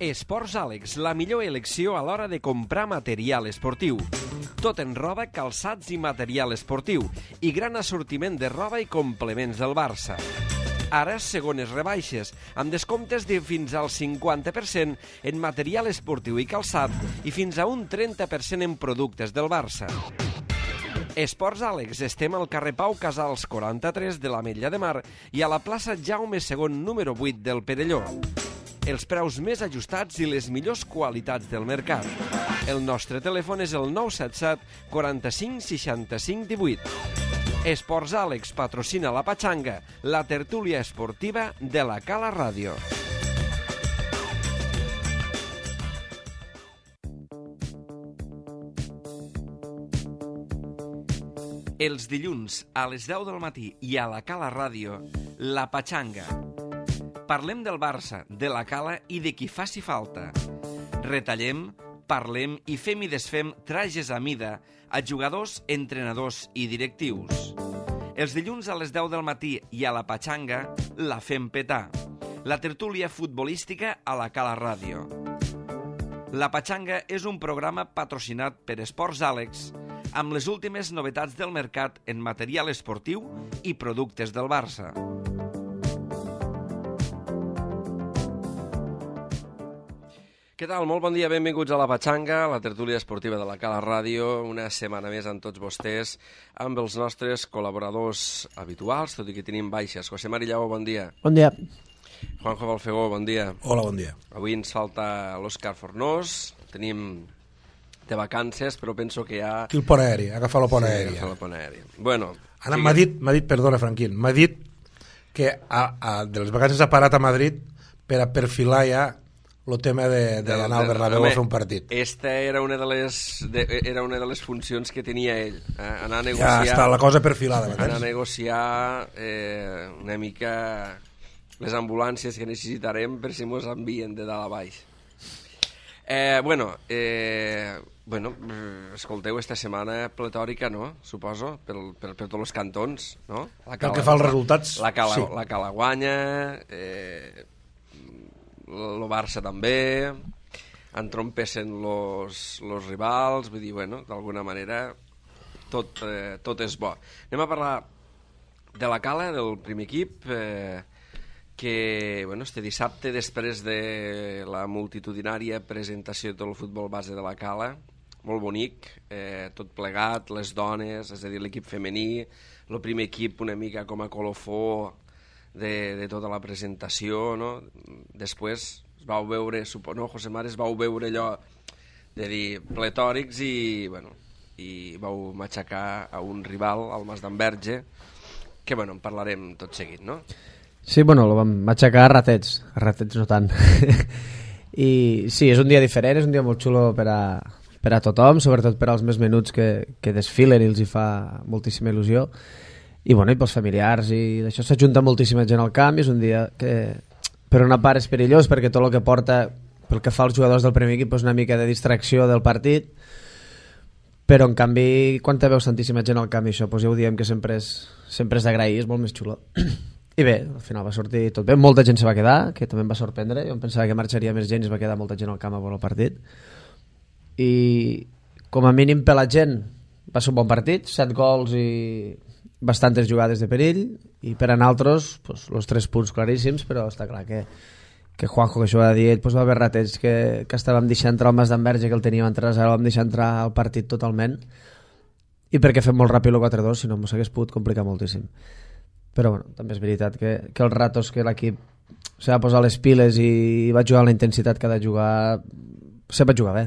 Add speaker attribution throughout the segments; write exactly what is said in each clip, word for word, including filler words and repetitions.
Speaker 1: Esports Àlex, la millor elecció a l'hora de comprar material esportiu. Tot en roba, calçats i material esportiu, i gran assortiment de roba i complements del Barça. Ara, segones rebaixes, amb descomptes de fins al cinquanta per cent en material esportiu i calçat i fins a un trenta per cent en productes del Barça. Esports Àlex, estem al carrer Pau Casals quaranta-tres de l'Ametlla de Mar i a la plaça Jaume segon número vuit del Perelló. Els preus més ajustats i les millors qualitats del mercat. El nostre telèfon és el nou set set quaranta-cinc seixanta-cinc divuit. Esports Àlex patrocina la Patxanga, la tertúlia esportiva de la Cala Ràdio. Els dilluns a les deu del matí i a la Cala Ràdio, la Patxanga. Parlem del Barça, de la Cala i de qui faci falta. Retallem, parlem i fem i desfem trajes a mida a jugadors, entrenadors i directius. Els dilluns a les deu del matí i a la Patxanga la fem petar. La tertúlia futbolística a la Cala Ràdio. La Patxanga és un programa patrocinat per Esports Àlex amb les últimes novetats del mercat en material esportiu i productes del Barça. Què tal? Molt bon dia, benvinguts a la Patxanga, la tertúlia esportiva de la Cala Ràdio, una setmana més amb tots vostès, amb els nostres col·laboradors habituals, tot i que tenim baixes. José Mari Lleó, bon dia.
Speaker 2: Bon dia.
Speaker 3: Juanjo Balfegó, bon dia.
Speaker 4: Hola, bon dia.
Speaker 3: Avui ens falta l'Òscar Fornós, tenim de vacances, però penso que ja...
Speaker 4: Aquí el pont aeri, agafa la pont
Speaker 3: sí,
Speaker 4: aèria.
Speaker 3: agafa la pont aèria. Bueno...
Speaker 4: Ara m'ha dit, m'ha dit, perdona, Franquín, m'ha dit que a, a, de les vacances ha parat a Madrid per a perfilar ja el tema d'anar al Bernabéu a fer un partit.
Speaker 3: Esta era una de les, de, era una de les funcions que tenia ell, eh? Anar a negociar...
Speaker 4: Ja està la cosa perfilada.
Speaker 3: Anar a negociar eh, una mica les ambulàncies que necessitarem per si mos envien de dalt a baix. Eh, bueno, eh, bueno, escolteu, esta setmana pletòrica, no? Suposo, per, per, per tots els cantons, no?
Speaker 4: La cala, pel que fa als resultats,
Speaker 3: la cala,
Speaker 4: sí.
Speaker 3: La Cala guanya, eh, el Barça també, entrompessen los, los rivals, vull dir, bueno, d'alguna manera tot, eh, tot és bo. Anem a parlar de la Cala, del primer equip, eh, que bueno, este dissabte, després de la multitudinària presentació de tot el futbol base de la Cala, molt bonic, eh, tot plegat, les dones, és a dir, l'equip femení, el primer equip una mica com a colofó de, de tota la presentació, no? Després es vau veure, suposo, no, José Mari, es vau veure allò de dir pletòrics i, bueno, i vau matxacar a un rival, al Mas d'Enverge, que, bueno, en parlarem tot seguit, no?
Speaker 2: Sí, bueno, lo vam matxacar a ratets, a ratets no tant. I sí, és un dia diferent, és un dia molt xulo per a, per a tothom, sobretot per als més menuts que, que desfilen i els hi fa moltíssima il·lusió. I bueno, i pels familiars, i d'això s'ajunta moltíssima gent al camp, i és un dia que per una part és perillós perquè tot el que porta, pel que fa als jugadors del primer equip, és una mica de distracció del partit, però en canvi quan te veus tantíssima gent al camp i això, doncs ja ho diem que sempre és, sempre és d'agrair, és molt més xulo. I bé, al final va sortir tot bé, molta gent se va quedar, que també em va sorprendre, jo em pensava que marxaria més gent i es va quedar molta gent al camp a veure el partit, i com a mínim per la gent va ser un bon partit, set gols i bastantes jugades de perill, i per a nosaltres, pues, els tres punts claríssims, però està clar que, que Juanjo, que això ho va dir ell, pues, va haver ratets que, que estàvem deixant entrar el Mas d'Enverge, que el teníem entre ara, el vam deixar entrar al partit totalment, i perquè fem molt ràpid el quatre dos, si no m'ho hagués pogut complicar moltíssim. Però bueno, també és veritat que, que els ratos que l'equip se va posar les piles i va jugar amb la intensitat que ha de jugar, se va jugar bé.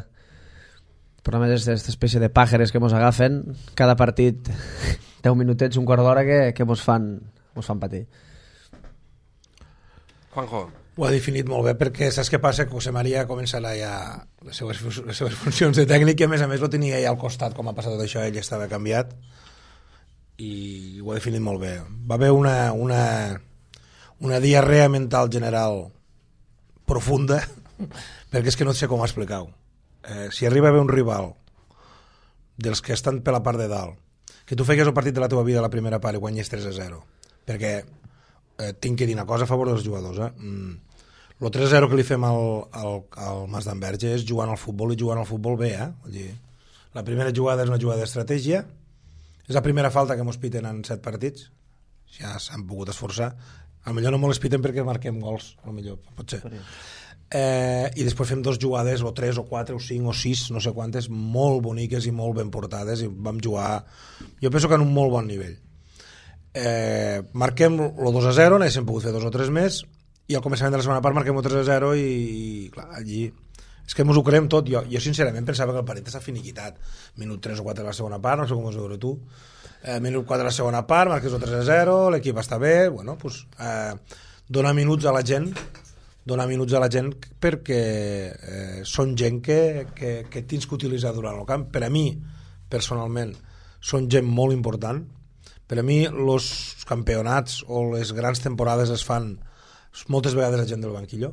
Speaker 2: Però a més és aquesta espècie de pàjares que mos agafen cada partit deu minutets, un quart d'hora que, que mos fan, mos fan patir.
Speaker 3: Juanjo.
Speaker 4: Ho ha definit molt bé perquè saps què passa? Que José María començarà ja les seves, les seves funcions de tècnic i a més a més ho tenia ja al costat, com ha passat tot això, ell estava canviat i ho ha definit molt bé. Va haver una, una, una diarrea mental general profunda perquè és que no sé com explicar-ho. Eh, si arriba a haver un rival dels que estan per la part de dalt, que tu feies el partit de la teva vida a la primera part i guanyes tres a zero, perquè eh, tinc que dir una cosa a favor dels jugadors, eh? Mm, el tres a zero que li fem al, al, al Mas d'Enverge és jugant al futbol i jugant al futbol bé, eh? Vull dir, la primera jugada és una jugada d'estratègia, és la primera falta que mos piten en set partits, ja s'han pogut esforçar, a lo millor no mos les piten perquè marquem gols, a lo millor, pot ser. Eh, i després fem dos jugades, o tres, o quatre, o cinc, o sis, no sé quantes, molt boniques i molt ben portades, i vam jugar, jo penso que en un molt bon nivell. Eh, marquem el dos a zero, n'haguéssim pogut fer dos o tres més, i al començament de la segona part marquem el tres a zero i, i clar, allí és que ens ho creiem tot. Jo, jo sincerament pensava que el partit està finiquitat, minut tres o quatre de la segona part, no sé com ho veure tu, eh, minut quatre de la segona part, marques el tres a zero, l'equip està bé, bueno, pues, eh, dona minuts a la gent donar minuts a la gent perquè eh, són gent que, que, que tens que utilitzar durant el camp. Per a mi, personalment, són gent molt important. Per a mi, els campionats o les grans temporades es fan moltes vegades la gent del banquillo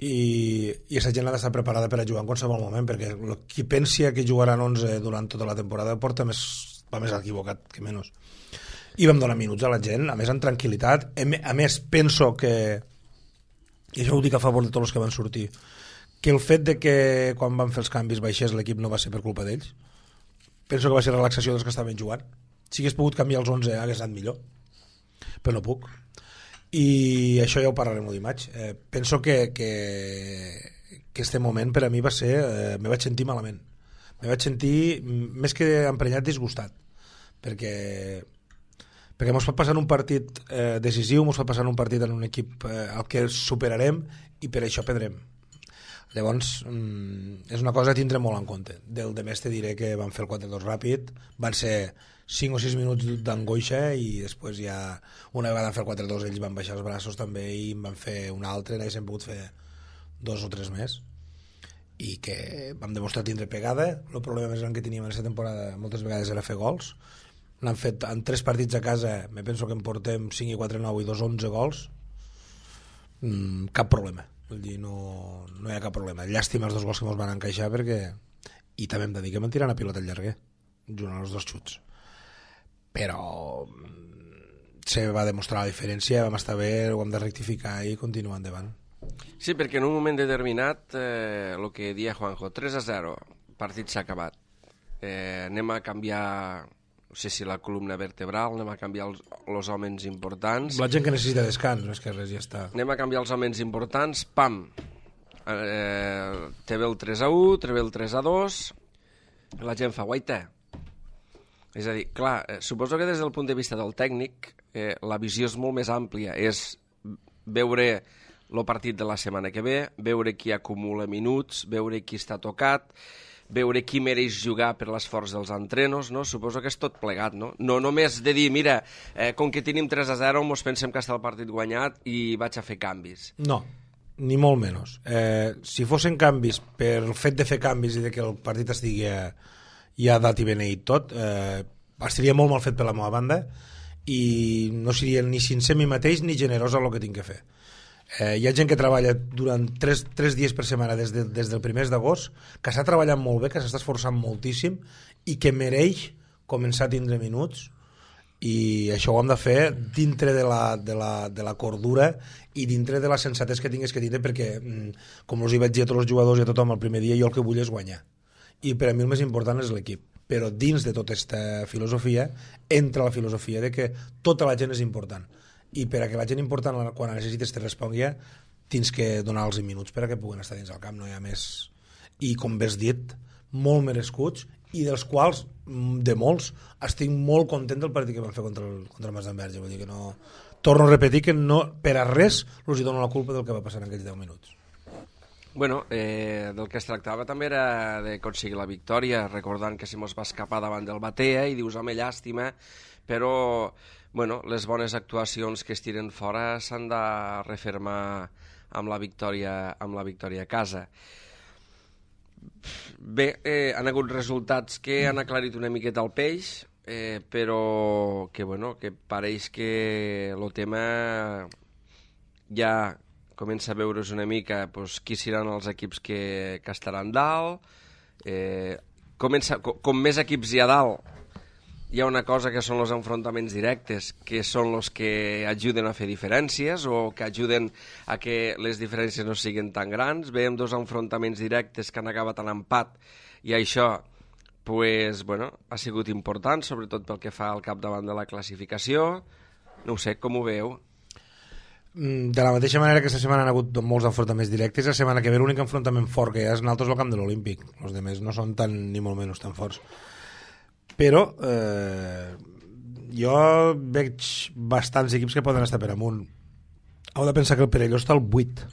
Speaker 4: i, i aquesta gent ha d'estar preparada per a jugar en qualsevol moment, perquè qui pensi que jugaran onze durant tota la temporada porta més, va més equivocat que menys. I vam donar minuts a la gent, a més en tranquil·litat. A més, penso que, i això ho dic a favor de tots els que van sortir, que el fet de que quan van fer els canvis baixés l'equip no va ser per culpa d'ells. Penso que va ser relaxació dels que estaven jugant. Si hagués pogut canviar els onze hagués anat millor, però no puc. I això ja ho parlarem el dimarts. Eh, penso que, que, que este moment per a mi va ser, eh, me vaig sentir malament. Me vaig sentir, més que emprenyat, disgustat, perquè perquè ens pot passar un partit eh, decisiu, ens pot passar un partit en un equip eh, al que superarem i per això perdrem. Llavors mm, és una cosa a tindre molt en compte. Del de més te diré que van fer el quatre dos ràpid, van ser cinc o sis minuts d'angoixa i després ja una vegada van fer el quatre dos ells van baixar els braços també i en van fer un altre, n'haguéssim pogut fer dos o tres més i que vam demostrar tindre pegada. El problema més gran que teníem en aquesta temporada moltes vegades era fer gols. L'han fet en tres partits a casa, me penso que en portem cinc i quatre nou i dos onze gols. Mm, cap problema, vull dir, no, no hi ha cap problema. Llàstima els dos gols que ens van encaixar perquè, i també em dediquem a tirar una pilota al llarguer junt als dos xuts, però se va demostrar la diferència, vam estar bé, ho hem de rectificar i continuar endavant.
Speaker 3: Sí, perquè en un moment determinat eh, el que dia Juanjo, tres a zero, partit s'ha acabat, eh, anem a canviar, no sé si la columna vertebral, anem a canviar els, els homes importants.
Speaker 4: La gent que necessita descans, no és que res, ja està.
Speaker 3: Anem a canviar els homes importants, pam, eh, te ve el tres a u, te ve el tres a dos, la gent fa guaita. És a dir, clar, eh, suposo que des del punt de vista del tècnic eh, la visió és molt més àmplia, és veure el partit de la setmana que ve, veure qui acumula minuts, veure qui està tocat, veure qui mereix jugar per l'esforç dels entrenos, no? Suposo que és tot plegat, no? No només de dir, mira, eh, com que tenim tres a zero, mos pensem que està el partit guanyat i vaig a fer canvis.
Speaker 4: No, ni molt menys. Eh, si fossin canvis per el fet de fer canvis i de que el partit estigui ja dat i beneït tot, eh, estaria molt mal fet per la meva banda i no seria ni sincer mi mateix ni generós el que tinc que fer. Eh, hi ha gent que treballa durant tres, tres dies per setmana des, de, des del primer d'agost, que està treballant molt bé, que s'està esforçant moltíssim i que mereix començar a tindre minuts, i això ho hem de fer dintre de la, de la, de la cordura i dintre de la sensatesa que tingués que tindre, perquè com us hi vaig dir a tots els jugadors i a tothom el primer dia, jo el que vull és guanyar i per a mi el més important és l'equip, però dins de tota aquesta filosofia entra la filosofia de que tota la gent és important i per a que la gent important quan la necessites te respongui tens que donar els minuts per a que puguen estar dins del camp, no hi ha més. I com bé has dit, molt merescuts i dels quals, de molts, estic molt content del partit que van fer contra el, contra el Mas d'Enverge. Vull dir que no, torno a repetir que no, per a res els hi dono la culpa del que va passar en aquells deu minuts.
Speaker 3: Bueno, eh, del que es tractava també era d'aconseguir la victòria, recordant que se mos va escapar davant del Batea i dius, home, llàstima, però bueno, les bones actuacions que es tiren fora s'han de refermar amb la victòria, amb la victòria a casa. Bé, eh, han hagut resultats que han aclarit una miqueta el peix, eh, però que, bueno, que pareix que el tema ja comença a veure's una mica pues, qui seran els equips que, que estaran dalt. Eh, comença, com, com més equips hi ha dalt, hi ha una cosa que són els enfrontaments directes, que són els que ajuden a fer diferències o que ajuden a que les diferències no siguin tan grans. Veiem dos enfrontaments directes que han acabat en empat i això pues, bueno, ha sigut important, sobretot pel que fa al capdavant de la classificació. No ho sé, com ho veieu?
Speaker 4: De la mateixa manera que aquesta setmana han hagut molts enfrontaments directes, la setmana que ve l'únic enfrontament fort que hi ha és nosaltres al camp de l'Olímpic. Els altres no són tan, ni molt menys tan forts. Però eh, jo veig bastants equips que poden estar per amunt. Heu de pensar que el Perelló està al vuit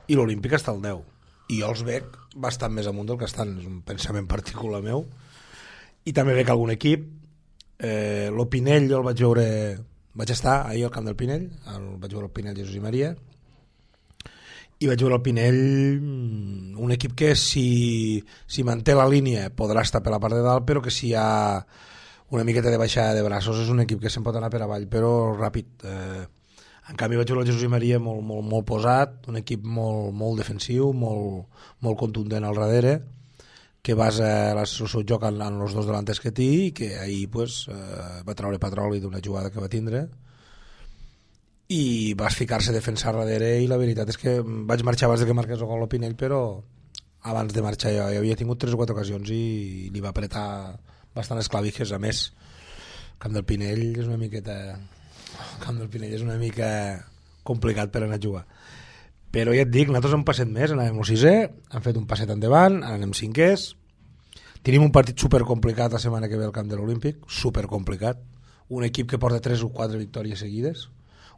Speaker 4: i l'Olímpic està al deu. I jo els veig bastant més amunt del que estan. És un pensament particular meu. I també veig algun equip. Eh, L'Opinell jo el vaig veure... Vaig estar ahir al camp del Pinell, el, vaig veure el Pinell Jesús i Maria, i vaig veure el Pinell, un equip que si, si manté la línia podrà estar per la part de dalt, però que si hi ha una miqueta de baixada de braços és un equip que se'n pot anar per avall, però ràpid. Eh, en canvi vaig veure el Jesús i Maria molt, molt, molt posat, un equip molt, molt defensiu, molt, molt contundent al darrere, que basa el seu joc en, en els dos delanters que té i que ahir pues, eh, va treure petroli d'una jugada que va tindre i va ficar-se a defensar darrere i la veritat és que vaig marxar abans de que marqués el gol l'Opinell, però abans de marxar jo, jo havia tingut tres o quatre ocasions i li va apretar bastant les clavijes. A més, el camp del Pinell és una miqueta el camp del Pinell és una mica complicat per anar a jugar. Però ja et dic, nosaltres hem passet més, anàvem al sisè, hem fet un passet endavant, ara anem cinquers, tenim un partit supercomplicat la setmana que ve al camp de l'Olímpic, supercomplicat, un equip que porta tres o quatre victòries seguides,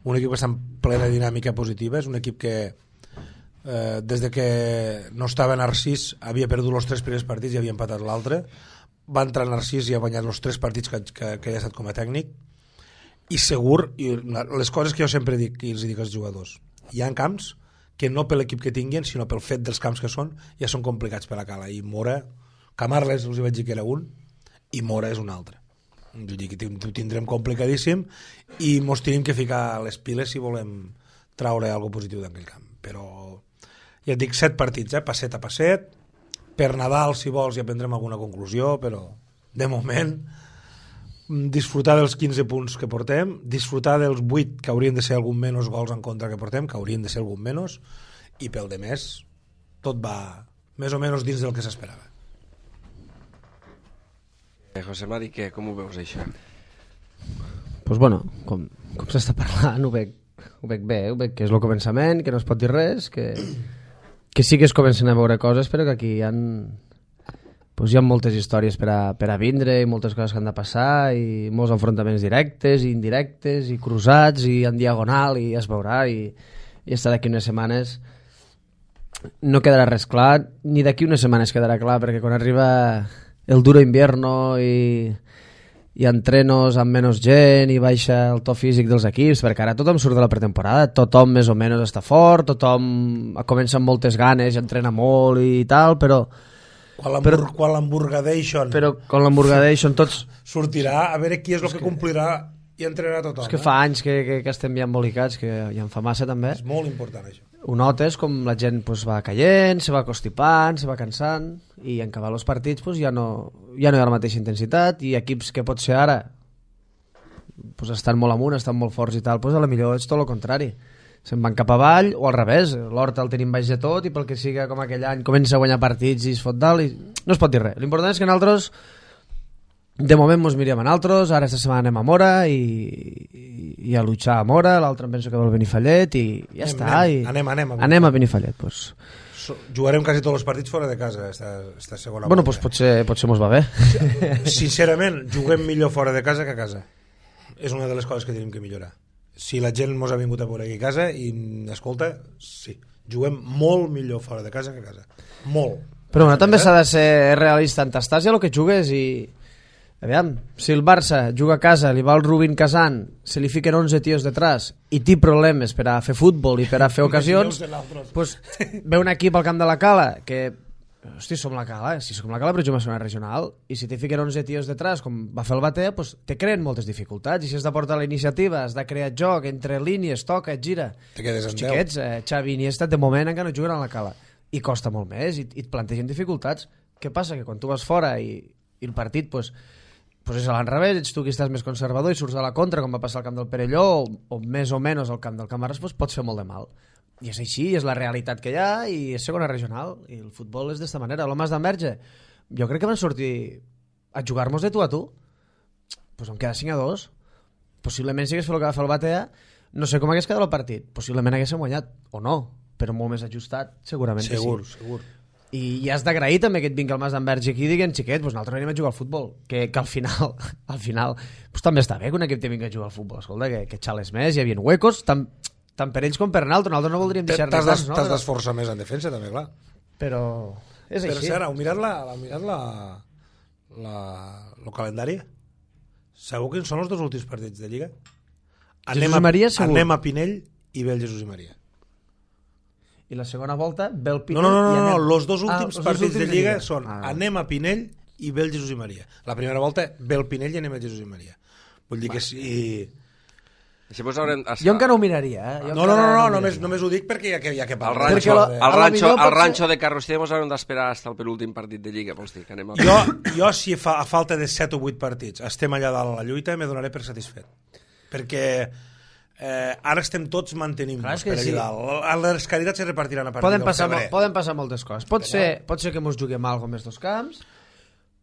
Speaker 4: un equip que està en plena dinàmica positiva, és un equip que eh, des de que no estava Narcís havia perdut els tres primers partits i havia empatat l'altre, va entrar Narcís i ha guanyat els tres partits que, que, que ha estat com a tècnic, i segur, i les coses que jo sempre dic i els dic als jugadors, hi ha camps que no per l'equip que tinguin, sinó pel fet dels camps que són, ja són complicats per a Cala. I Mora, Camarles els vaig dir que era un, i Mora és un altre. Jo dic que ho tindrem complicadíssim i mos tenim que ficar les piles si volem traure alguna positiu d'aquell camp. Però ja et dic, set partits, eh? Passet a passet. Per Nadal, si vols, ja prendrem alguna conclusió, però de moment disfrutar dels quinze punts que portem, disfrutar dels vuit que haurien de ser algun menys gols en contra que portem, que haurien de ser algun menys, i pel de més tot va més o menys dins del que s'esperava.
Speaker 3: Eh, José Mari, què? Com ho veus això?
Speaker 2: Pues bueno, com, com s'està parlant ho veig, ho veig bé, ho veig que és el començament, que no es pot dir res, que, que sí que es comencen a veure coses, però que aquí hi ha pues hi ha moltes històries per a, per a vindre i moltes coses que han de passar i molts enfrontaments directes i indirectes i cruzats i en diagonal i es veurà i, i estar d'aquí unes setmanes no quedarà res clar, ni d'aquí unes setmanes quedarà clar, perquè quan arriba el duro invierno i, i entrenos amb menys gent i baixa el to físic dels equips, perquè ara tothom surt de la pretemporada, tothom més o menys està fort, tothom comença amb moltes ganes i entrena molt i tal, però
Speaker 4: quan l'hamburgadation
Speaker 2: però quan l'hamburgadation tots
Speaker 4: sortirà a veure qui és el que, que complirà i entrenarà tothom.
Speaker 2: És que fa anys que, que, que estem ja embolicats, que ja en fa massa també.
Speaker 4: És molt important això.
Speaker 2: Ho notes com la gent pues, va caient, se va constipant, se va cansant i en acabar els partits pues, ja, no, ja no hi ha la mateixa intensitat i equips que pot ser ara pues, estan molt amunt, estan molt forts i tal, pues, a la millor és tot el contrari. Se'n van cap avall, o al revés, l'Horta el tenim baix de tot i pel que siga com aquell any comença a guanyar partits i es fot dalt i no es pot dir res. L'important és que nosaltres de moment mos mirem a nosaltres, ara esta setmana anem a Mora i, i, i a luchar a Mora, l'altre em penso que va al Benifallet i ja anem, està.
Speaker 4: Anem,
Speaker 2: i
Speaker 4: anem, anem, a
Speaker 2: anem a Benifallet. Pues.
Speaker 4: So, jugarem quasi tots els partits fora de casa esta, esta segona
Speaker 2: bueno,
Speaker 4: volta.
Speaker 2: Pues potser, potser mos va bé.
Speaker 4: Sincerament, juguem millor fora de casa que a casa. És una de les coses que tenim que millorar. Si la gent mos ha vingut a veure aquí a casa i escolta, sí, juguem molt millor fora de casa que a casa, molt.
Speaker 2: Però bueno, també s'ha de ser realista en t'estàs ja el que jugues i aviam, si el Barça juga a casa, li va el Rubin Kazan, se li fiquen onze tios detrás i té problemes per a fer futbol i per a fer ocasions, pues, ve un equip al camp de la Cala que hosti, som la Cala, eh? Si som la Cala però juguem a una regional i si te fiquen onze tios detrás com va fer el Bater, pues, te creen moltes dificultats i si has de portar la iniciativa, has de crear joc entre línies, toca, et gira
Speaker 4: te quedes en
Speaker 2: els xiquets, eh, Xavi i Iniesta de moment encara no juguen a la Cala i costa molt més i, i et plantegen dificultats. Què passa? Que quan tu vas fora i, i el partit pues, pues és a l'enrevés, ets tu qui estàs més conservador i surts a la contra, com va passar al camp del Perelló, o, o més o menys al camp del Camarasa, pues pots fer molt de mal. I és així, és la realitat que hi ha, i és segona regional, i el futbol és d'esta manera. L'Homes d'Enverge, jo crec que van sortir a jugar-nos de tu a tu, pues em queda cinc a dos. Possiblement si hagués fet el que va fer el Batea, no sé com hagués quedat el partit, possiblement haguéssim guanyat, o no, però molt més ajustat, segurament
Speaker 4: segur,
Speaker 2: que sí.
Speaker 4: Segur,
Speaker 2: I, i has d'agrair també que et vingui el Mas d'Enverge aquí i diguin, xiquet, pues nosaltres anem a jugar al futbol, que, que al final al final pues també està bé que un equip te vingui a jugar al futbol, escolta, que, que xales més, hi havia huecos, tant, tant per ells com per nosaltres, nosaltres no voldríem deixar
Speaker 4: t'has
Speaker 2: res, no?
Speaker 4: T'has d'esforçar més en defensa, també, clar.
Speaker 2: Però és
Speaker 4: Però
Speaker 2: així.
Speaker 4: si ara, heu mirat, la, heu mirat la, la, el calendari? Segur quins són els dos últims partits de Lliga? Anem
Speaker 2: Jesús i Maria,
Speaker 4: a,
Speaker 2: segur.
Speaker 4: anem a Pinell i ve el Jesús i Maria.
Speaker 2: I la segona volta ve el Pinell.
Speaker 4: No, no, no,
Speaker 2: i
Speaker 4: no,
Speaker 2: anem...
Speaker 4: no, els dos últims
Speaker 2: ah,
Speaker 4: partits
Speaker 2: últims
Speaker 4: de Lliga són
Speaker 2: ah,
Speaker 4: anem a Pinell i ve el Jesús i Maria. La primera volta ve el Pinell i anem al Jesús i Maria. Vull dir que si...
Speaker 3: Així pues haurem...
Speaker 2: Jo encara ho miraria, eh? Jo
Speaker 4: No, no, no, no,
Speaker 2: no
Speaker 4: només, només ho dic perquè hi ha que, hi ha que
Speaker 3: Al
Speaker 4: parlar.
Speaker 3: ranxo,
Speaker 2: la-
Speaker 3: al
Speaker 2: a la
Speaker 3: ranxo,
Speaker 2: millor
Speaker 3: al
Speaker 2: pot
Speaker 3: ranxo
Speaker 2: ser-
Speaker 3: de Carroster mos haurem d'esperar fins al penúltim partit de Lliga, vols dir que anem a...
Speaker 4: Jo, jo si fa, a falta de set o vuit partits estem allà dalt a la lluita, me donaré per satisfet. Perquè eh, ara estem tots mantenint
Speaker 2: Clar, és
Speaker 4: per
Speaker 2: que
Speaker 4: allà
Speaker 2: sí.
Speaker 4: dalt. Les caritats se repartiran a partir
Speaker 2: Poden
Speaker 4: del
Speaker 2: passar,
Speaker 4: febrer.
Speaker 2: poden passar moltes coses. Pot ser, pot ser que mos juguem alguna més dos camps,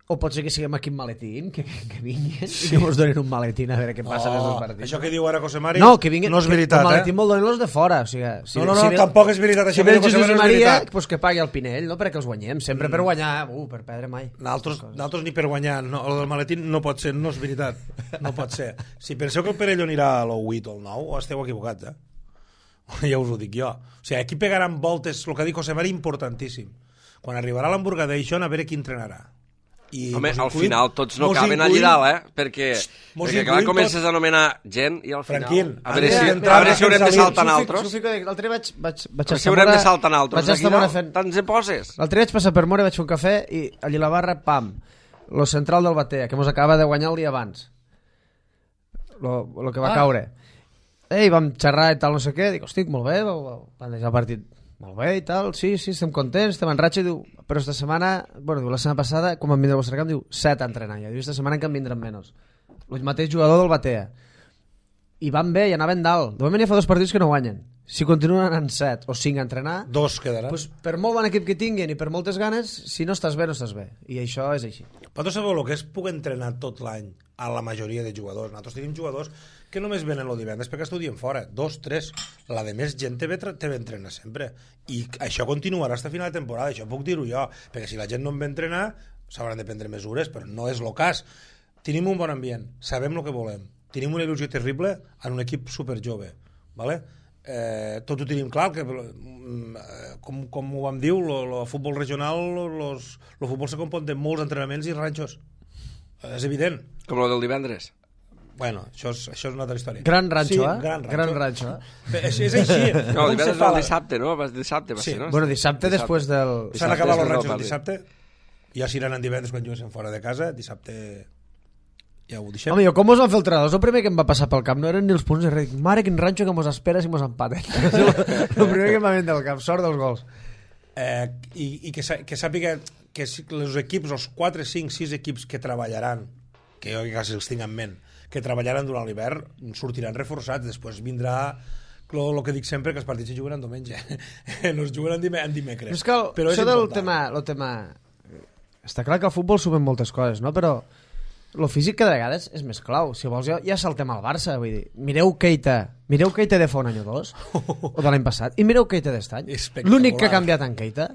Speaker 2: o pot ser que siguem aquí amb maletín, que, que, que vinguin sí. i que mos donin un maletín a veure què passa
Speaker 4: No,
Speaker 2: més dos partits.
Speaker 4: això que diu ara José Mari
Speaker 2: no, que vinguin,
Speaker 4: no és
Speaker 2: que
Speaker 4: veritat,
Speaker 2: el maletín
Speaker 4: eh?
Speaker 2: me'l donen els de fora. O sigui, si,
Speaker 4: No, no, no,
Speaker 2: si ve,
Speaker 4: tampoc és veritat.
Speaker 2: Si
Speaker 4: Això
Speaker 2: ve
Speaker 4: que
Speaker 2: el
Speaker 4: diu José
Speaker 2: Jesús
Speaker 4: Mari
Speaker 2: i
Speaker 4: no és
Speaker 2: Maria,
Speaker 4: veritat.
Speaker 2: pues que pagui el Pinell, no? Perquè els guanyem. Sempre per guanyar, uh, per perdre mai.
Speaker 4: Nosaltres, nosaltres ni per guanyar, no, el del maletín no pot ser, no és veritat, no pot ser. Si penseu que el Perelló anirà a l'u vuit o al nou, esteu equivocats, eh? Ja us ho dic jo. O sigui, aquí pegaran voltes, el que dic José Mari, importantíssim. Quan arribarà l'Hamburgadation, a veure qui entrenarà. I
Speaker 3: Home,
Speaker 4: mos
Speaker 3: al
Speaker 4: incluïm-
Speaker 3: final tots no
Speaker 4: mos
Speaker 3: caben allà
Speaker 4: incluïm-
Speaker 3: dalt, eh? Perquè,
Speaker 4: mos
Speaker 3: perquè clar,
Speaker 4: incluïm
Speaker 3: comences
Speaker 4: tots.
Speaker 3: a anomenar gent i al final...
Speaker 4: Franquín,
Speaker 3: a veure
Speaker 4: Andrea,
Speaker 3: si,
Speaker 4: entrar
Speaker 3: a veure si haurem de
Speaker 4: sense
Speaker 3: saltar en
Speaker 2: S'ho
Speaker 3: altres.
Speaker 2: fico, l'altre vaig, vaig, vaig
Speaker 3: A veure si haurem de saltar en altres.
Speaker 2: Vaig
Speaker 3: Aquí
Speaker 2: estar
Speaker 3: no,
Speaker 2: bona fent...
Speaker 3: tants hi poses.
Speaker 2: L'altre vaig passar per Mora, vaig fer un cafè i allà a la barra, pam, lo central del Batea, que mos acaba de guanyar el dia abans. Lo, lo que va
Speaker 4: Ah.
Speaker 2: caure. Ei, vam xerrar i tal, no sé què, dic, hosti, molt bé, van deixar el partit molt bé i tal, sí, sí, estem contents, estem en ratxa, i diu, però esta setmana, bueno, diu, la setmana passada, quan van vindre al vostre camp, diu, set a entrenar, ja diu, esta setmana que en vindran menys. El mateix jugador del Batea. I van bé, i anaven dalt. De moment ja fa dos partits que no guanyen. Si continuen anant set o cinc a entrenar,
Speaker 4: Dos quedaran.
Speaker 2: pues, per molt bon equip que tinguin i per moltes ganes, si no estàs bé, no estàs bé. I això és així.
Speaker 4: Vosaltres sabeu el que és poder entrenar tot l'any a la majoria de jugadors. Nosaltres tenim jugadors que només venen el divendres perquè estudien fora. Dos, tres. La de més gent te ve, te ve entrenar sempre. I això continuarà fins a final de temporada. Això puc dir-ho jo. Perquè si la gent no en ve entrenar, s'hauran de prendre mesures, però no és el cas. Tenim un bon ambient. Sabem el que volem. Tenim una il·lusió terrible en un equip superjove. Vale? Eh, tot ho tenim clar, que, eh, com, com ho vam dir, el futbol regional, el futbol se compon de molts entrenaments i ranxos. És evident.
Speaker 3: Com el del divendres.
Speaker 4: Bueno, això és, això és una altra història.
Speaker 2: Gran ranxo,
Speaker 4: sí,
Speaker 2: eh?
Speaker 4: Gran ranxo.
Speaker 2: Gran ranxo, eh?
Speaker 4: És, és així.
Speaker 3: No,
Speaker 4: Com
Speaker 3: el
Speaker 4: se
Speaker 3: divendres
Speaker 4: fa
Speaker 3: no, el
Speaker 4: la-
Speaker 3: dissabte, no? Va- Dissabte va
Speaker 4: Sí.
Speaker 3: ser, no?
Speaker 2: Bueno, dissabte, després del...
Speaker 4: S'han
Speaker 3: Dissabte,
Speaker 4: acabat els
Speaker 3: després del
Speaker 4: ranxos
Speaker 3: partit.
Speaker 4: dissabte. Ja s'aniran en divendres quan juguessin fora de casa. Dissabte ja ho deixem.
Speaker 2: Home, jo com mos van fer el tres a dos, el primer que em va passar pel camp no eren ni els punts de res. Dic, mare, quin ranxo que mos espera si mos empaten. El primer que em va vindre al cap, sort dels gols.
Speaker 4: Eh, i, i que, sa- que sàpiga que si- els equips, els quatre, cinc, sis equips que treballaran, que jo quasi els tinc en ment, que treballaran durant l'hivern, sortiran reforçats. Després vindrà el que dic sempre, que els partits se juguen en diumenge. No es juguen en, dime, en dimecres.
Speaker 2: Però és que el,
Speaker 4: Però és
Speaker 2: això del
Speaker 4: important.
Speaker 2: tema, el tema... Està clar que al futbol sumen moltes coses, no? Però el físic cada vegada és, és més clau. Si vols, ja, ja saltem al Barça. Vull dir, mireu Keita. Mireu Keita de fa un any o dos, o de l'any passat, i mireu Keita d'est any.
Speaker 4: Espectacular.
Speaker 2: L'únic que ha canviat en Keita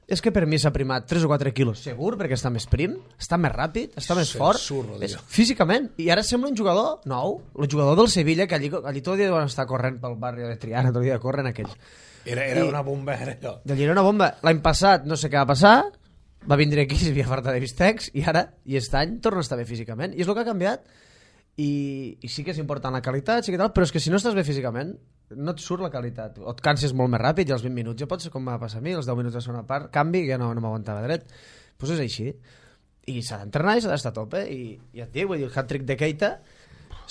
Speaker 2: és que per mi s'ha primat tres o quatre quilos segur, perquè està més prim, està més ràpid, està més
Speaker 4: Sí,
Speaker 2: fort,
Speaker 4: absurd,
Speaker 2: és,
Speaker 4: tio.
Speaker 2: físicament. I ara sembla un jugador nou, el jugador del Sevilla, que allí, allí tot el dia deuen estar corrent pel barri de Triana, tot el dia corren aquells.
Speaker 4: Era, era
Speaker 2: I-
Speaker 4: una bomba, era allò.
Speaker 2: De era una bomba. L'any passat no sé què va passar, va vindre aquí, s'hi havia farta de bistecs, i ara, i aquest any, torna a estar bé físicament. I és el que ha canviat. I, i sí que és important la qualitat, sí que tal, però és que si no estàs bé físicament, no et surt la qualitat. O et canses molt més ràpid i als vint minuts ja pot ser com va passar a mi, els deu minuts de segona part, canvi, ja no, no m'aguantava dret. Doncs pues és així. I s'ha d'entrenar i s'ha d'estar a tope. I ja et dic, vull dir, el hat-trick de Keita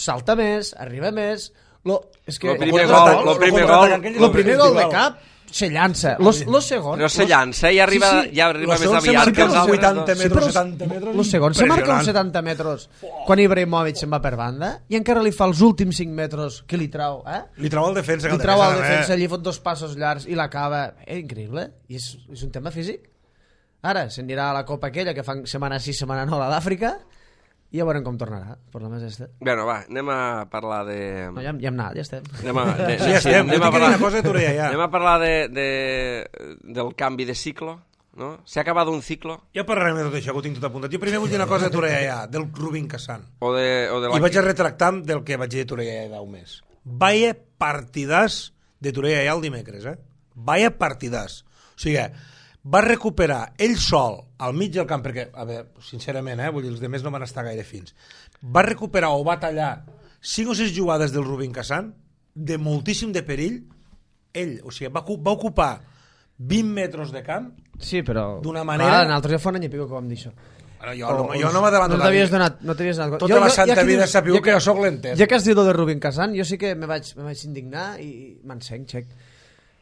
Speaker 2: salta més, arriba més... Lo, és que,
Speaker 3: Lo primer
Speaker 4: contraatac-
Speaker 3: gol, lo
Speaker 4: lo
Speaker 3: primer
Speaker 4: contraatac
Speaker 3: gol,
Speaker 4: aquell
Speaker 2: Lo
Speaker 4: és
Speaker 2: primer gol de
Speaker 4: igual.
Speaker 2: cap, se llança. Los, los segons...
Speaker 3: Però se llança i arriba, sí, sí. ja arriba més aviat que els altres.
Speaker 4: vuitanta metres, setanta metres...
Speaker 2: Los segons se marca uns setanta metres quan Ibrahimovic se'n va per banda i encara li fa els últims cinc metres que li trau, eh?
Speaker 4: Li trau el defensa.
Speaker 2: Li trau el defensa, allí fot dos passos llargs i l'acaba. Eh, increïble. I és, és un tema físic. Ara se'n dirà a la Copa aquella que fan setmana sis, setmana nou a l'Àfrica i ja veurem com tornarà, per la més este.
Speaker 3: Bueno, va, anem a parlar de...
Speaker 2: No, ja, ja hem anat, ja estem.
Speaker 3: Anem a, de,
Speaker 4: sí, ja estem.
Speaker 3: Anem a parlar,
Speaker 4: cosa de ja.
Speaker 3: anem a parlar de, de, del canvi de ciclo, no? S'ha acabat un ciclo?
Speaker 4: Ja parlarem de tot això, que ho tinc tot apuntat. Jo primer vull dir una cosa de Torreia ja, del Rubin Kazan.
Speaker 3: O de, o de la...
Speaker 4: I vaig a retractar del que vaig dir de Torreia ja un mes. Vaya partidàs de Torreia ja el dimecres, eh? Vaya partidàs. O sigui, va recuperar ell sol al mig del camp, perquè, a veure, sincerament, eh, vull dir, els demés no van estar gaire fins, va recuperar o va tallar cinc o sis jugades del Rubin Kazan de moltíssim de perill, ell, o sigui, va, va ocupar vint metres de camp,
Speaker 2: sí, però
Speaker 4: d'una manera...
Speaker 2: Clar, nosaltres ja fa un any i pico que vam dir això.
Speaker 4: Bueno, jo, o, no, jo no m'adelanto.
Speaker 2: No t'havies donat, no t'havies donat...
Speaker 4: Tota
Speaker 2: jo,
Speaker 4: la
Speaker 2: jo,
Speaker 4: santa
Speaker 2: ja
Speaker 4: vida
Speaker 2: dius,
Speaker 4: sapiu
Speaker 2: ja
Speaker 4: que jo soc l'entès.
Speaker 2: Ja que has dit de Rubin Kazan, jo sí que me vaig, me vaig indignar i m'encenc, xec.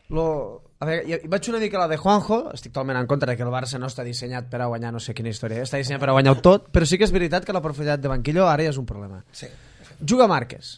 Speaker 2: Lo, a veure, jo, vaig una mica a la de Juanjo, estic totalment en contra que el Barça no està dissenyat per a guanyar no sé quina història, està dissenyat per a guanyar tot, però sí que és veritat que la profunditat de banquillo ara ja és un problema.
Speaker 4: Sí.
Speaker 2: Juga Márquez.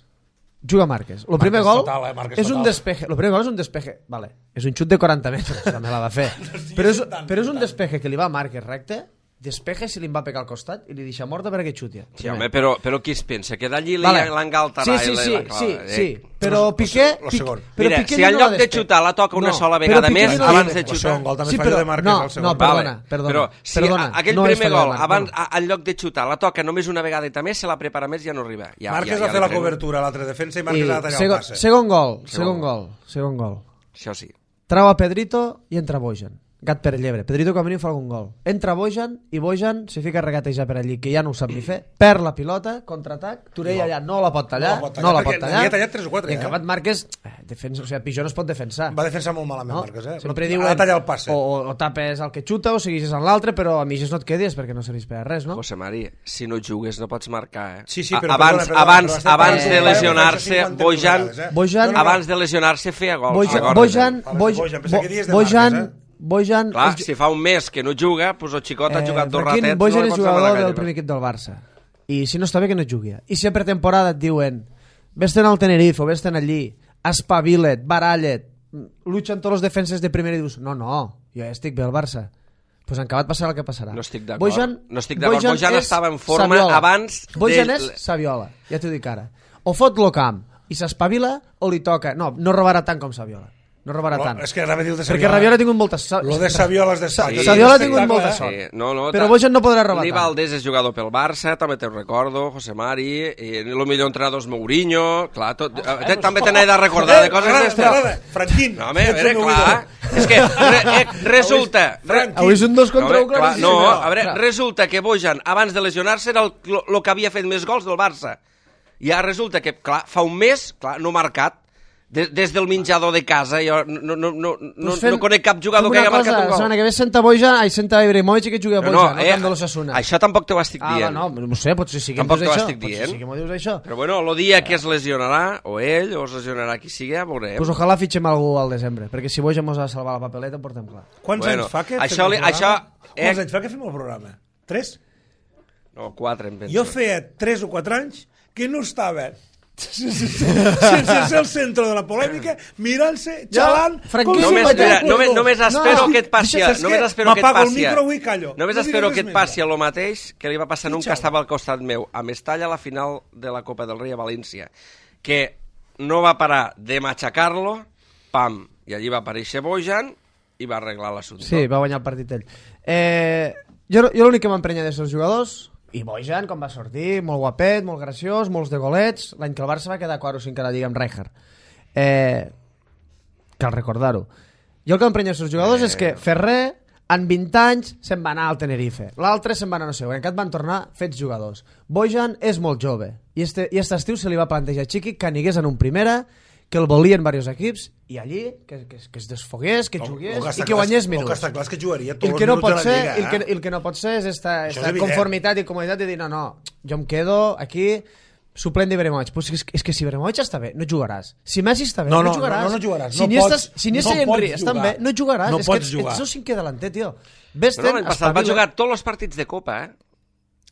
Speaker 2: Juga Márquez. El primer gol
Speaker 4: total, eh?
Speaker 2: és un despeje. El primer gol és un despeje. Vale. És un xut de quaranta metres, també la va fer. Però és, però és un despeje que li va a Márquez recte, despeje si li va pegar al costat i li deixa morta perquè xutia.
Speaker 3: Sí, home, però, però qui es pensa? Que d'allí
Speaker 2: vale.
Speaker 3: l'engaltarà
Speaker 2: sí, sí, sí,
Speaker 3: la clava.
Speaker 2: sí,
Speaker 3: Eh?
Speaker 2: sí, però Piqué...
Speaker 4: Lo segon.
Speaker 2: Però
Speaker 3: Mira,
Speaker 2: Piqué
Speaker 3: si en
Speaker 2: no
Speaker 3: lloc de xutar la toca una
Speaker 2: no,
Speaker 3: sola vegada més,
Speaker 2: no
Speaker 3: abans de
Speaker 4: El
Speaker 3: xutar...
Speaker 4: segon gol també
Speaker 2: sí,
Speaker 4: fallo
Speaker 2: però,
Speaker 4: de Márquez.
Speaker 2: no,
Speaker 4: el segon.
Speaker 2: no, perdona,
Speaker 3: Vale.
Speaker 2: perdona.
Speaker 3: Però si
Speaker 2: perdona,
Speaker 3: aquell
Speaker 2: no
Speaker 3: primer gol, abans,
Speaker 2: no.
Speaker 3: en lloc de xutar la toca només una vegada més, se la prepara més i ja no arriba. Ja,
Speaker 4: Márquez
Speaker 3: ja,
Speaker 4: va
Speaker 3: ja
Speaker 4: fer la
Speaker 3: treu.
Speaker 4: cobertura a l'altra defensa i Márquez
Speaker 2: I
Speaker 4: ha tallat
Speaker 2: segon,
Speaker 4: el passe.
Speaker 2: segon gol, segon gol, segon gol.
Speaker 3: Això sí.
Speaker 2: Trau a Pedrito i entra Bojan. Gat per llebre. Pedrito com a mínim fa algun gol. Entra Bojan i Bojan se fica a regatejar per allí, que ja no ho sap ni fer. Perd la pilota, contraatac, Torella allà no la pot tallar,
Speaker 4: no la pot tallar,
Speaker 2: no la
Speaker 4: perquè
Speaker 2: pot tallar.
Speaker 4: n'havia tallat tres o quatre,
Speaker 2: I en acabat
Speaker 4: eh?
Speaker 2: Márquez, eh, defensa, o sigui, Pijó no es pot defensar.
Speaker 4: Va defensar molt malament,
Speaker 2: No?
Speaker 4: Márquez, eh?
Speaker 2: Sempre
Speaker 4: Ha
Speaker 2: diuen,
Speaker 4: de tallar el passe.
Speaker 2: o, o, o tapes el que xuta o segueixes en l'altre, però a mitges no et quedis perquè no serveix per a res, no?
Speaker 3: José Mari, si no jugues no pots marcar, eh?
Speaker 4: Sí, sí, però
Speaker 3: abans,
Speaker 4: perdona, perdona,
Speaker 3: abans,
Speaker 4: però
Speaker 3: abans
Speaker 4: estem
Speaker 3: de
Speaker 4: parlant
Speaker 3: lesionar-se,
Speaker 4: cinquanta
Speaker 3: Bojan,
Speaker 4: vegades, eh?
Speaker 2: Bojan,
Speaker 4: No, no, no.
Speaker 3: abans de lesionar-se feia gols.
Speaker 2: Bojan,
Speaker 3: recordes,
Speaker 2: Bojan,
Speaker 3: eh?
Speaker 4: Bojan,
Speaker 2: Bojan,
Speaker 4: pensava que dies de
Speaker 2: Bojan,
Speaker 4: Márquez, eh?
Speaker 2: Bojan,
Speaker 3: Clar,
Speaker 2: és-
Speaker 3: si fa un mes que no juga, doncs el xicot ha jugat dos
Speaker 2: Franquín,
Speaker 3: ratets...
Speaker 2: Bojan
Speaker 3: no li
Speaker 2: és
Speaker 3: pots demanar
Speaker 2: jugador
Speaker 3: gaire
Speaker 2: del
Speaker 3: més.
Speaker 2: primer equip del Barça. I si no està bé que no jugui. I si a pretemporada et diuen vés-te'n al Tenerife o vés-te'n allí, espavila't, barallet, lucha en tots els defenses de primera i dius, no, no, jo ja estic bé al Barça. Doncs pues en acabat passarà el que passarà.
Speaker 3: No estic d'acord.
Speaker 2: Bojan,
Speaker 3: No estic d'acord.
Speaker 2: Bojan,
Speaker 3: Bojan
Speaker 2: és
Speaker 3: estava en forma
Speaker 2: Saviola.
Speaker 3: abans
Speaker 2: Bojan
Speaker 3: de-
Speaker 2: és Saviola, ja t'ho dic ara. O fot lo camp i s'espavila o li toca. No, no robarà tant com Saviola. No robarà
Speaker 4: No,
Speaker 2: tant.
Speaker 4: és que anava a dir el de
Speaker 2: Perquè
Speaker 4: Saviola.
Speaker 2: Saviola ha tingut moltes...
Speaker 4: Lo de Saviola és
Speaker 2: Sa-
Speaker 4: d'espatx.
Speaker 2: Saviola ha
Speaker 4: Sí,
Speaker 2: tingut
Speaker 4: espectacle,
Speaker 2: molta
Speaker 4: eh?
Speaker 2: sort.
Speaker 3: Sí, no, no,
Speaker 2: Però
Speaker 3: ta-
Speaker 2: Bojan no podrà robar
Speaker 3: Ni
Speaker 2: tant.
Speaker 3: Valdés és jugador pel Barça, també te'n recordo, José Mari, i el millor entrenador és Mourinho, clar, tot, eh, també te n'he de recordar de coses
Speaker 4: M'agrada,
Speaker 3: d'estes.
Speaker 4: m'agrada. Franquín.
Speaker 3: No, home, a
Speaker 4: ets
Speaker 3: veure,
Speaker 4: el meu
Speaker 3: clar,
Speaker 4: ídol.
Speaker 3: és que re, eh, resulta...
Speaker 4: Frank,
Speaker 2: Avui és un dos
Speaker 3: No,
Speaker 2: contra
Speaker 3: home,
Speaker 2: un
Speaker 3: clar,
Speaker 2: claríssim.
Speaker 3: no,
Speaker 2: No,
Speaker 3: a veure,
Speaker 2: clar.
Speaker 3: resulta que Bojan, abans de lesionar-se, era el, lo, lo que havia fet més gols del Barça. I ara resulta que, clar, fa un mes, clar, no ha marcat, des, des del menjador de casa, jo no, no, no, no,
Speaker 2: Pues fem-
Speaker 3: no conec cap jugador
Speaker 2: fem
Speaker 3: que
Speaker 2: una
Speaker 3: hagi marcat
Speaker 2: cosa,
Speaker 3: un
Speaker 2: La
Speaker 3: gol.
Speaker 2: setmana que ve senta Bojan, ai, senta Ibrahimovic i que jugui a
Speaker 3: No,
Speaker 2: Bojan,
Speaker 3: no,
Speaker 2: al
Speaker 3: eh,
Speaker 2: camp de l'Osasuna.
Speaker 3: això tampoc t'ho estic
Speaker 2: Ah,
Speaker 3: dient.
Speaker 2: no, no sé, potser sí que
Speaker 3: Tampoc
Speaker 2: em dius
Speaker 3: t'ho
Speaker 2: això.
Speaker 3: estic
Speaker 2: Potser
Speaker 3: dient.
Speaker 2: sí que m'ho dius això.
Speaker 3: Però bueno, el dia que es lesionarà, o ell, o es lesionarà qui sigui, ja veurem.
Speaker 2: Pues ojalà fitxem algú al desembre, perquè si Bojan mos ha de salvar la papeleta, ho portem clar.
Speaker 4: Quants
Speaker 3: Bueno,
Speaker 4: anys fa que
Speaker 3: això
Speaker 4: fem
Speaker 3: li-
Speaker 4: el programa?
Speaker 3: això, eh-
Speaker 4: Quants anys fa que fem el programa? Tres?
Speaker 3: No, quatre, em penso.
Speaker 4: Jo feia tres o quatre anys que no estava sense ser el centre de la polèmica, mirant-se, xalant...
Speaker 2: Franquí,
Speaker 4: com si
Speaker 3: Només,
Speaker 4: mateix
Speaker 3: mira,
Speaker 4: jugador.
Speaker 3: només, només espero
Speaker 2: No,
Speaker 3: que et passi...
Speaker 4: saps
Speaker 3: Només
Speaker 4: què?
Speaker 3: espero que et
Speaker 4: M'apago el
Speaker 3: passi...
Speaker 4: micro avui i callo.
Speaker 3: Només
Speaker 4: No
Speaker 3: espero
Speaker 4: diré
Speaker 3: que
Speaker 4: res
Speaker 3: et
Speaker 4: més.
Speaker 3: passi el mateix que li va passar a un que
Speaker 4: Xau.
Speaker 3: estava al costat meu, a Mestalla, a la final de la Copa del Rei a València, que no va parar de matxacar-lo, pam, i allí va aparèixer Bojan i va arreglar l'assumpte.
Speaker 2: Sí, va guanyar el partit ell. Eh, jo jo l'únic que m'emprenya de els jugadors, i Bojan, com va sortir, molt guapet, molt graciós, molts de golets, l'any que el Barça va quedar quart o cinc a la Lliga amb Rijkaard. Eh, cal recordar-ho. Jo el que m'emprenya dels jugadors eh. és que Ferrer, en vint anys, se'n va anar al Tenerife. L'altre se'n va anar no sé, en aquest van tornar fets jugadors. Bojan és molt jove, i este, i este estiu se li va plantejar a Chiqui que anigués en un primera, que el volien diversos equips, i allí que, que, que es desfogués, que jugués
Speaker 4: El- el
Speaker 2: i que guanyés
Speaker 4: El
Speaker 2: minuts.
Speaker 4: que està clar és que jugaria
Speaker 2: I
Speaker 4: tots
Speaker 2: el
Speaker 4: els
Speaker 2: que, no
Speaker 4: minuts
Speaker 2: pot
Speaker 4: de la
Speaker 2: ser,
Speaker 4: Lliga.
Speaker 2: el, que,
Speaker 4: eh?
Speaker 2: el que no pot ser és esta,
Speaker 4: Això
Speaker 2: esta
Speaker 4: és evident.
Speaker 2: conformitat i comoditat de dir no, no, jo em quedo aquí suplent d'Ibrahimovic. Pues és, és que si Ibrahimovic està bé, no jugaràs. Si Messi està bé,
Speaker 4: no,
Speaker 2: no,
Speaker 4: no
Speaker 2: jugaràs.
Speaker 4: No, no, no jugaràs.
Speaker 2: Si
Speaker 4: no
Speaker 2: Iniesta,
Speaker 4: pots,
Speaker 2: si Iniesta
Speaker 4: no
Speaker 2: i Henry estan bé, no jugaràs.
Speaker 4: No
Speaker 2: és que
Speaker 4: pots
Speaker 2: ets,
Speaker 4: jugar.
Speaker 2: ets el cinquè delanter, tio.
Speaker 3: Però no, l'any passat va jugar tots els partits de Copa, eh?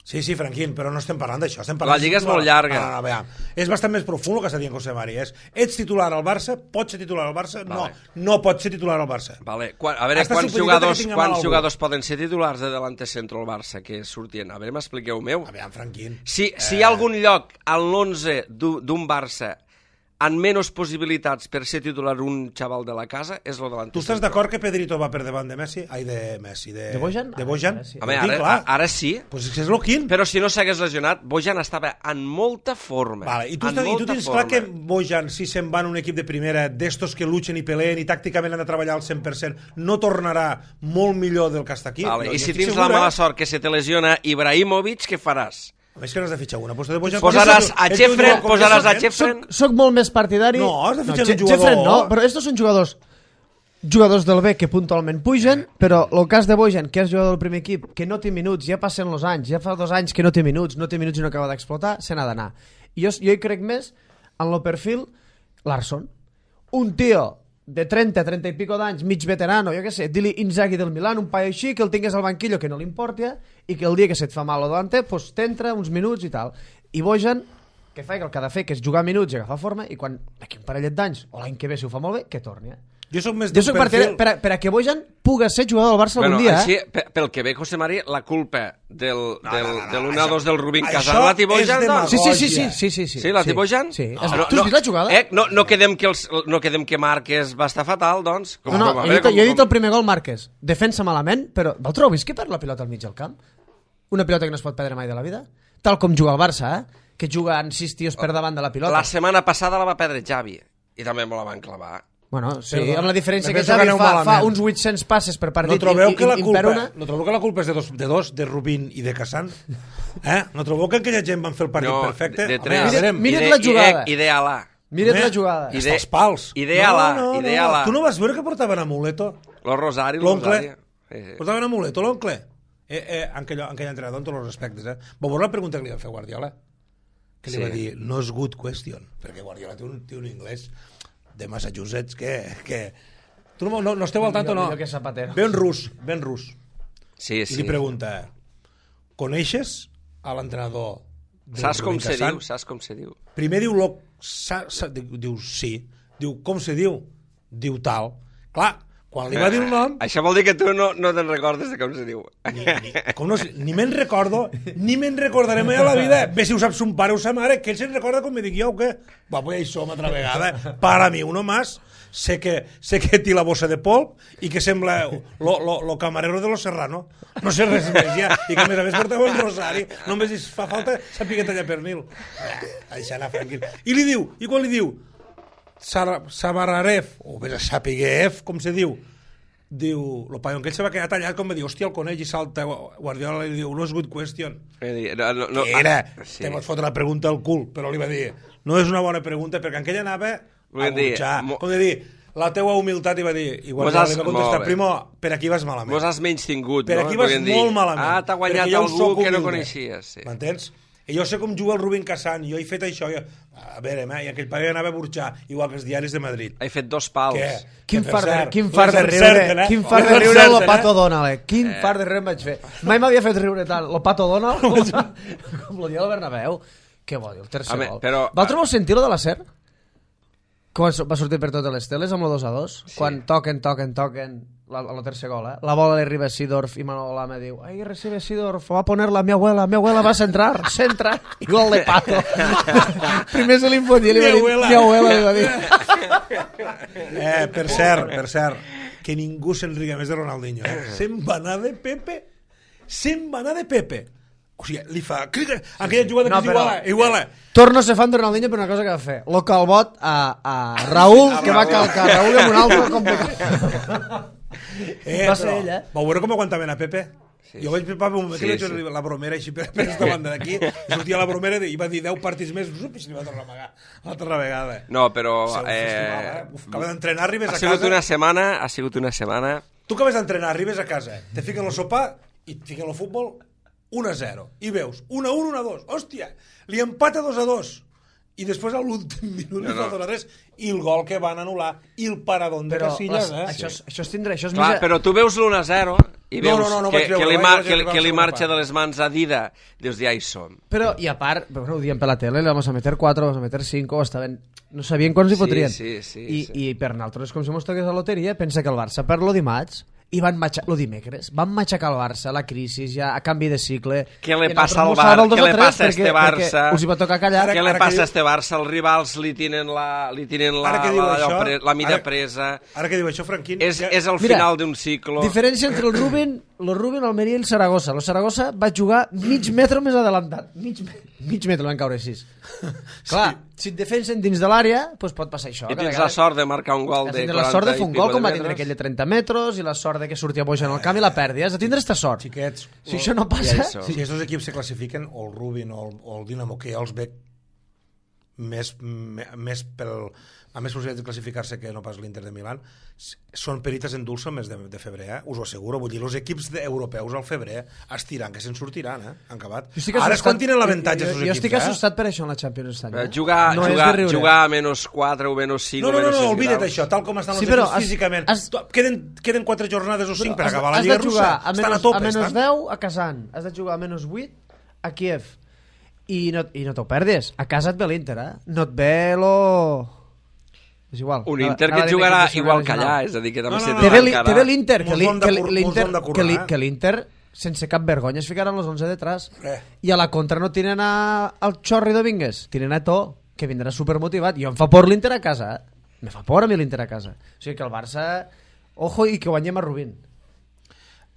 Speaker 4: Sí, sí, Franquín, però no estem parlant d'això. La
Speaker 3: Lliga és molt llarga.
Speaker 4: No, no, no, és bastant més profund el que està dient José Mari. És, ets titular al Barça, pots ser titular al Barça, vale. no, no pots ser titular al Barça.
Speaker 3: Vale. Quan, a veure, Hasta quants, jugadors, quants jugadors poden ser titulars de delante centro al Barça que sortien? A veure, m'expliqueu-meu.
Speaker 4: A veure, Franquín.
Speaker 3: Si, eh... si hi ha algun lloc al l'onze d'un Barça amb menys possibilitats per ser titular un xaval de la casa, és lo davant.
Speaker 4: Tu estàs d'acord que Pedrito va per davant de Messi? Ai, de Messi, de...
Speaker 2: De Bojan?
Speaker 4: De Bojan?
Speaker 2: Sí.
Speaker 3: Home, ara, ara, ara sí.
Speaker 4: Pues és lo quin.
Speaker 3: Però si no s'hagués lesionat, Bojan estava en molta forma.
Speaker 4: Vale, i tu, estàs, i tu tens forma. Clar que Bojan, si se'n va en un equip de primera, d'estos que luchen i peleen i tàcticament han de treballar al cent per cent, no tornarà molt millor del que està aquí.
Speaker 3: Vale,
Speaker 4: no,
Speaker 3: i si tens segura... la mala sort que se te lesiona Ibrahimovic, què faràs?
Speaker 4: A més que n'has de fitxar una. Pues de Bojan,
Speaker 3: posaràs a Jeffren, posaràs a Jeffren...
Speaker 2: Soc, soc molt més partidari...
Speaker 4: No, has de fitxar
Speaker 2: no,
Speaker 4: un jugador...
Speaker 2: Jeffren no, però estos són jugadors jugadors del B que puntualment pugen, però el cas de Bojan, que és jugador del primer equip, que no té minuts, ja passen els anys, ja fa dos anys que no té minuts, no té minuts i no acaba d'explotar, se n'ha d'anar. I jo, jo hi crec més en el perfil Larsson. Un tio de trenta, trenta i pico d'anys, mig veterano, jo què sé, di-li Inzaghi del Milan, un paio així, que el tingués al banquillo, que no li importi, i que el dia que se't fa mal o davante, pues t'entra uns minuts i tal. I Bojan, que fa el que ha de fer, que és jugar minuts i agafar forma, i quan d'aquí un parellet d'anys, o l'any que ve si ho fa molt bé, que torni. Eh?
Speaker 4: Jo soc més
Speaker 2: jo soc perfil... per, a, per a que Bojan puga ser jugador del Barça
Speaker 3: bueno,
Speaker 2: algun dia.
Speaker 3: Així,
Speaker 2: eh?
Speaker 3: pel que ve, José María, la culpa del,
Speaker 4: no,
Speaker 3: del,
Speaker 4: no, no, no,
Speaker 3: de l'u a dos del Rubín
Speaker 4: això,
Speaker 3: Casal, la té Bojan?
Speaker 4: No?
Speaker 2: Sí, sí, sí, sí, sí, sí, sí.
Speaker 3: Sí, la té Bojan?
Speaker 2: Sí.
Speaker 3: Ah,
Speaker 2: no,
Speaker 3: tu
Speaker 2: has vist la jugada?
Speaker 3: Eh, no, no, quedem que els, no quedem que Márquez va estar fatal, doncs. Com,
Speaker 2: no, no,
Speaker 3: com,
Speaker 2: jo, he dit,
Speaker 3: com,
Speaker 2: jo he dit el primer gol Márquez. Defensa malament, però vosaltres heu vist que perd la pilota al mig del camp? Una pilota que no es pot perdre mai de la vida? Tal com juga el Barça, eh? Que juga en sis tios per davant de la pilota.
Speaker 3: La setmana passada la va perdre Xavi, i també me la van clavar.
Speaker 2: Bueno, sí,
Speaker 4: Perdona,
Speaker 2: amb la diferència que
Speaker 4: Xavi
Speaker 2: Xavi fa, fa uns vuit-cents passes per partit.
Speaker 4: No trobeu,
Speaker 2: i,
Speaker 4: que la
Speaker 2: i,
Speaker 4: culpa,
Speaker 2: una...
Speaker 4: no trobeu que la culpa és de dos, de dos, de Rubín i de Cassan? Eh? No trobeu que aquella gent van fer el partit
Speaker 3: no,
Speaker 4: perfecte?
Speaker 3: De, de tres.
Speaker 2: Home, mira't, mira't la jugada.
Speaker 3: Ideal-a.
Speaker 2: Mira't la jugada.
Speaker 4: Ide... Els pals.
Speaker 3: Ideal-a.
Speaker 4: No, no,
Speaker 3: Ideal-a.
Speaker 4: No. Tu no vas veure que portaven amuleto?
Speaker 3: Lo Rosari,
Speaker 4: l'oncle.
Speaker 3: Sí, sí.
Speaker 4: Portaven amuleto, l'oncle. Eh, eh, aquell, aquell entrenador, amb tots els respectes. Eh? Va veure la pregunta que li va fer Guardiola? Que li sí. va dir, no és good question. Perquè Guardiola té un, té un anglès de Massachusetts que... que... Tu no, no, no esteu al tanto, no? Ben rus, ben rus.
Speaker 3: Sí, sí.
Speaker 4: I li pregunta, coneixes a l'entrenador?
Speaker 3: Saps com se diu? Saps com se diu?
Speaker 4: Primer diu, lo, sa, sa, diu sí. Diu, com se diu? Diu tal. Clar, quan li va dir el nom...
Speaker 3: Això vol dir que tu no, no te'n recordes de com se diu.
Speaker 4: Ni, ni, com no, ni me'n recordo, ni me'n recordaré mai a la vida. Bé, si ho sap son pare o sa mare, que ell se'n recorda com me dic jo, o què? Va, pues això una altra vegada. Para mi, uno más. Sé que, sé que té la bossa de polp i que sembla lo, lo, lo camarero de los Serrano. No sé res més ja. I que a més a més portava un rosari. Només fa falta saber tallar pernil. Això anar tranquil. I li diu, i quan li diu Sabararev, o bé Sapiguev, com se diu, diu, el paio, que ell se va quedar tallat com va dir, hòstia, el coneix i salta Guardiola i li diu, no és good question.
Speaker 3: No, no, no,
Speaker 4: que era,
Speaker 3: ah, sí.
Speaker 4: te pots fotre la pregunta al cul, però li va dir, no és una bona pregunta, perquè en aquella anava a burxar, com de dir, la teua humilitat, i va dir, i Guardiola li va contestar, primo, per aquí vas malament.
Speaker 3: Mos has menys tingut,
Speaker 4: per
Speaker 3: no?
Speaker 4: aquí vas molt malament.
Speaker 3: Ah, t'ha guanyat algú que no coneixies. Sí.
Speaker 4: M'entens? I jo sé com juga el Rubín Cassan, jo he fet això, jo... a veure, eh? I aquell paio anava a burxar, igual que els diaris de Madrid.
Speaker 3: He fet dos pals.
Speaker 4: Què?
Speaker 2: Quin
Speaker 4: que
Speaker 2: far de,
Speaker 4: cert,
Speaker 2: quin far de riure, eh? quin far de riure el Pato Donald, eh? Quin
Speaker 3: eh.
Speaker 2: far de riure em vaig fer. Mai m'havia fet riure tant el Pato Donald com, com el dia del Bernabéu. Què vol dir, el tercer
Speaker 3: Home,
Speaker 2: gol.
Speaker 3: però...
Speaker 2: Vosaltres vau sentir-lo de la S E R? Com va sortir per totes les teles amb el dos a dos? Sí. Quan toquen, toquen, toquen la, el tercer gol, eh? La bola li arriba a Seedorf i Manolo Lama diu, ahí recibe Seedorf, va a poner-la mi abuela, mi abuela va a centrar, centra, i gol de Pato. Primer se li infotia, li va dir, mi abuela, li va dir.
Speaker 4: Eh, per cert, per cert, que ningú se'n riga més de Ronaldinho, eh? Se'n va anar de Pepe, se'n va anar de Pepe. O sigui, li fa... Aquella jugada no, que és iguala, iguala.
Speaker 2: Torno a ser fan de Ronaldinho per una cosa que va fer. Lo calbot a, a Raúl, a que Raúl. Va calcar Raúl amb un altre complicat.
Speaker 4: Eh, va ser ell, eh? Vau veure com aguantaven a Pepe? Sí, jo vaig preparar un moment sí, que sí. La bromera així per aquesta banda d'aquí, i sortia la bromera i va dir deu partits més, i se li va tornar a amagar l'altra vegada.
Speaker 3: No, però...
Speaker 4: Eh... Festival, eh? Uf, acabes d'entrenar, arribes a casa...
Speaker 3: Ha sigut una setmana, ha sigut una setmana...
Speaker 4: Tu acabes d'entrenar, arribes a casa, te fiquen el sopar i et fiquen el futbol un a zero, i veus un a un, un a dos, hòstia, li empata dos a dos, i després a l'últim minut li falta res, i el gol que van anul·lar, i el paradón de Casillas, eh?
Speaker 2: Això, sí. això és tindre... Això és
Speaker 3: Clar,
Speaker 2: més...
Speaker 3: però tu veus l'un a zero i veus
Speaker 4: no, no, no,
Speaker 3: que,
Speaker 4: veure,
Speaker 3: que, li,
Speaker 4: vaig
Speaker 3: mar,
Speaker 4: veure,
Speaker 3: que,
Speaker 4: vaig
Speaker 3: que li
Speaker 4: veure,
Speaker 3: marxa
Speaker 4: part.
Speaker 3: de les mans a Dida, dius, ja hi som.
Speaker 2: Però, i a part, bueno, ho diem per la tele, le vamos a meter cuatro, vamos a meter cinco, estaven... no sabien quants hi fotrien.
Speaker 3: Sí, sí,
Speaker 2: I,
Speaker 3: sí.
Speaker 2: I per nosaltres, com si mos toqués la loteria, pensa que el Barça perd lo dimarts, i van matxacar, lo dimecres, van matxacar el Barça, la crisi, ja a canvi de cicle.
Speaker 3: Què li
Speaker 2: I
Speaker 3: passa al
Speaker 2: nosaltres
Speaker 3: Barça?
Speaker 2: mos
Speaker 3: Què li
Speaker 2: salven el
Speaker 3: passa a
Speaker 2: dos tres
Speaker 3: este Barça?
Speaker 2: perquè us hi va tocar callar.
Speaker 3: Què li
Speaker 4: ara
Speaker 3: passa
Speaker 4: que
Speaker 3: a este Barça? Els rivals li tenen la, li tenen la,
Speaker 4: Ara que diu
Speaker 3: la,
Speaker 4: això,
Speaker 3: la, la mida
Speaker 4: ara-
Speaker 3: presa.
Speaker 4: Ara que diu això, Franquín...
Speaker 3: És,
Speaker 4: ja-
Speaker 3: és el
Speaker 2: Mira,
Speaker 3: final d'un cicle.
Speaker 2: Diferència entre el Rubén, el Rubén, el Almeria i el Saragossa. El Saragossa va jugar mig metre més adelantat. Mig, mig metre van caure sis. Clar, si et defensen dins de l'àrea, doncs pot passar això.
Speaker 3: I
Speaker 2: que a
Speaker 3: tens la
Speaker 2: vegades-
Speaker 3: sort de marcar un gol
Speaker 2: Has
Speaker 3: de
Speaker 2: de tindre
Speaker 3: quaranta
Speaker 2: la sort de
Speaker 3: i
Speaker 2: fer un
Speaker 3: pico
Speaker 2: gol com va
Speaker 3: de
Speaker 2: tindre
Speaker 3: metres.
Speaker 2: aquell de trenta metres i la sort de que sortia boja en el camp i la perdi. Has de tindre esta sort.
Speaker 4: Xiquets,
Speaker 2: Si això no
Speaker 3: Ja
Speaker 2: passa...
Speaker 3: hi som.
Speaker 4: si aquests equips se classifiquen, o el Rubin o el, o el Dinamo, que ja els veig més, me- més pel, a més possibilitats de classificar-se que no pas l'Inter de Milán, s- són perites en dulce el mes de, de febrer, eh? Us ho asseguro. Vull dir, els equips de, europeus al febrer estiran, que se'n sortiran, eh? Han acabat.
Speaker 2: Jo estic
Speaker 4: Ara és
Speaker 2: assustat-
Speaker 4: quan tenen l'avantatge
Speaker 2: jo,
Speaker 4: els
Speaker 2: jo, jo
Speaker 4: equips,
Speaker 2: estic
Speaker 4: eh?
Speaker 2: assustat per això en la Champions aquest any.
Speaker 3: Eh,
Speaker 2: eh?
Speaker 3: Jugar,
Speaker 2: No és
Speaker 3: jugar,
Speaker 2: de riure.
Speaker 3: jugar a menys quatre o menys cinc
Speaker 4: No,
Speaker 3: o
Speaker 4: no, no,
Speaker 3: menys
Speaker 4: no,
Speaker 3: sis
Speaker 4: oblida't
Speaker 3: graus.
Speaker 4: això, tal com estan els
Speaker 2: Sí, però
Speaker 4: equips
Speaker 2: has-
Speaker 4: físicament.
Speaker 2: has-
Speaker 4: Tu- Queden, queden quatre jornades o cinc per
Speaker 2: Has-
Speaker 4: acabar la
Speaker 2: has
Speaker 4: Lliga
Speaker 2: de jugar
Speaker 4: Russa.
Speaker 2: a
Speaker 4: Estan a
Speaker 2: menys,
Speaker 4: tope,
Speaker 2: a menys
Speaker 4: estan.
Speaker 2: deu a Kazan, has de jugar a menys vuit a Kiev i no, i no t'ho perdis, a casa et ve l'Inter, eh? No et ve lo... És igual.
Speaker 3: Un
Speaker 2: Anava-
Speaker 3: Inter que
Speaker 2: anava
Speaker 3: et
Speaker 2: a dir
Speaker 3: jugarà
Speaker 2: equip de
Speaker 3: igual que
Speaker 2: segona
Speaker 3: allà,
Speaker 2: regional.
Speaker 3: és a dir, que
Speaker 4: No,
Speaker 3: també
Speaker 4: no,
Speaker 3: se
Speaker 4: no,
Speaker 2: Té
Speaker 3: té
Speaker 2: ve l'I- té
Speaker 3: encara...
Speaker 2: ve l'Inter, que l'I-
Speaker 4: Mos
Speaker 2: que
Speaker 4: l'hem
Speaker 2: l'I-
Speaker 4: de
Speaker 2: l'Inter
Speaker 4: cur- mos l'hem de
Speaker 2: que l'I-
Speaker 4: currar,
Speaker 2: que l'Inter sense cap vergonya es ficaran els onze detrás.
Speaker 4: Res.
Speaker 2: I a la contra no tienen a, al Chorri Domínguez, tienen a To, que vindrà supermotivat. Jo em fa por l'Inter a casa, eh? Me fa por a mi l'Inter a casa. O sigui que el Barça... Ojo, i que guanyem a Rubín.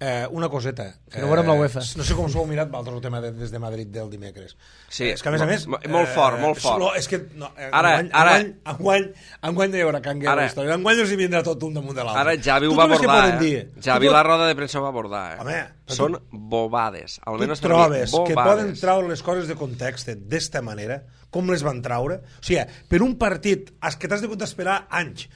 Speaker 4: Eh, una coseta.
Speaker 2: Que no veurem la UEFA.
Speaker 4: No sé com s'ho heu mirat vosaltres el tema de, des de Madrid del dimecres.
Speaker 3: Sí,
Speaker 4: Eh, és que a més a més...
Speaker 3: mo- molt fort, molt fort.
Speaker 4: No, és que... No, eh,
Speaker 3: Ara-
Speaker 4: enguany,
Speaker 3: ara-
Speaker 4: Enguany, enguany, enguany no hi haurà canvi a
Speaker 3: Ara-
Speaker 4: la història. Enguany els hi vindrà tot un damunt de l'altre.
Speaker 3: Ara Javi ho
Speaker 4: Tu
Speaker 3: va
Speaker 4: creus que
Speaker 3: abordar,
Speaker 4: poden
Speaker 3: eh?
Speaker 4: dir?
Speaker 3: Javi
Speaker 4: Tu
Speaker 3: la roda de premsa ho va abordar, eh?
Speaker 4: Home, però
Speaker 3: Són
Speaker 4: tu-
Speaker 3: bobades.
Speaker 4: Tu
Speaker 3: Almenys
Speaker 4: et
Speaker 3: per mi,
Speaker 4: trobes que
Speaker 3: bobades.
Speaker 4: poden treure les coses de context d'esta manera, com les van treure? O sigui, per un partit has que t'has de esperar anys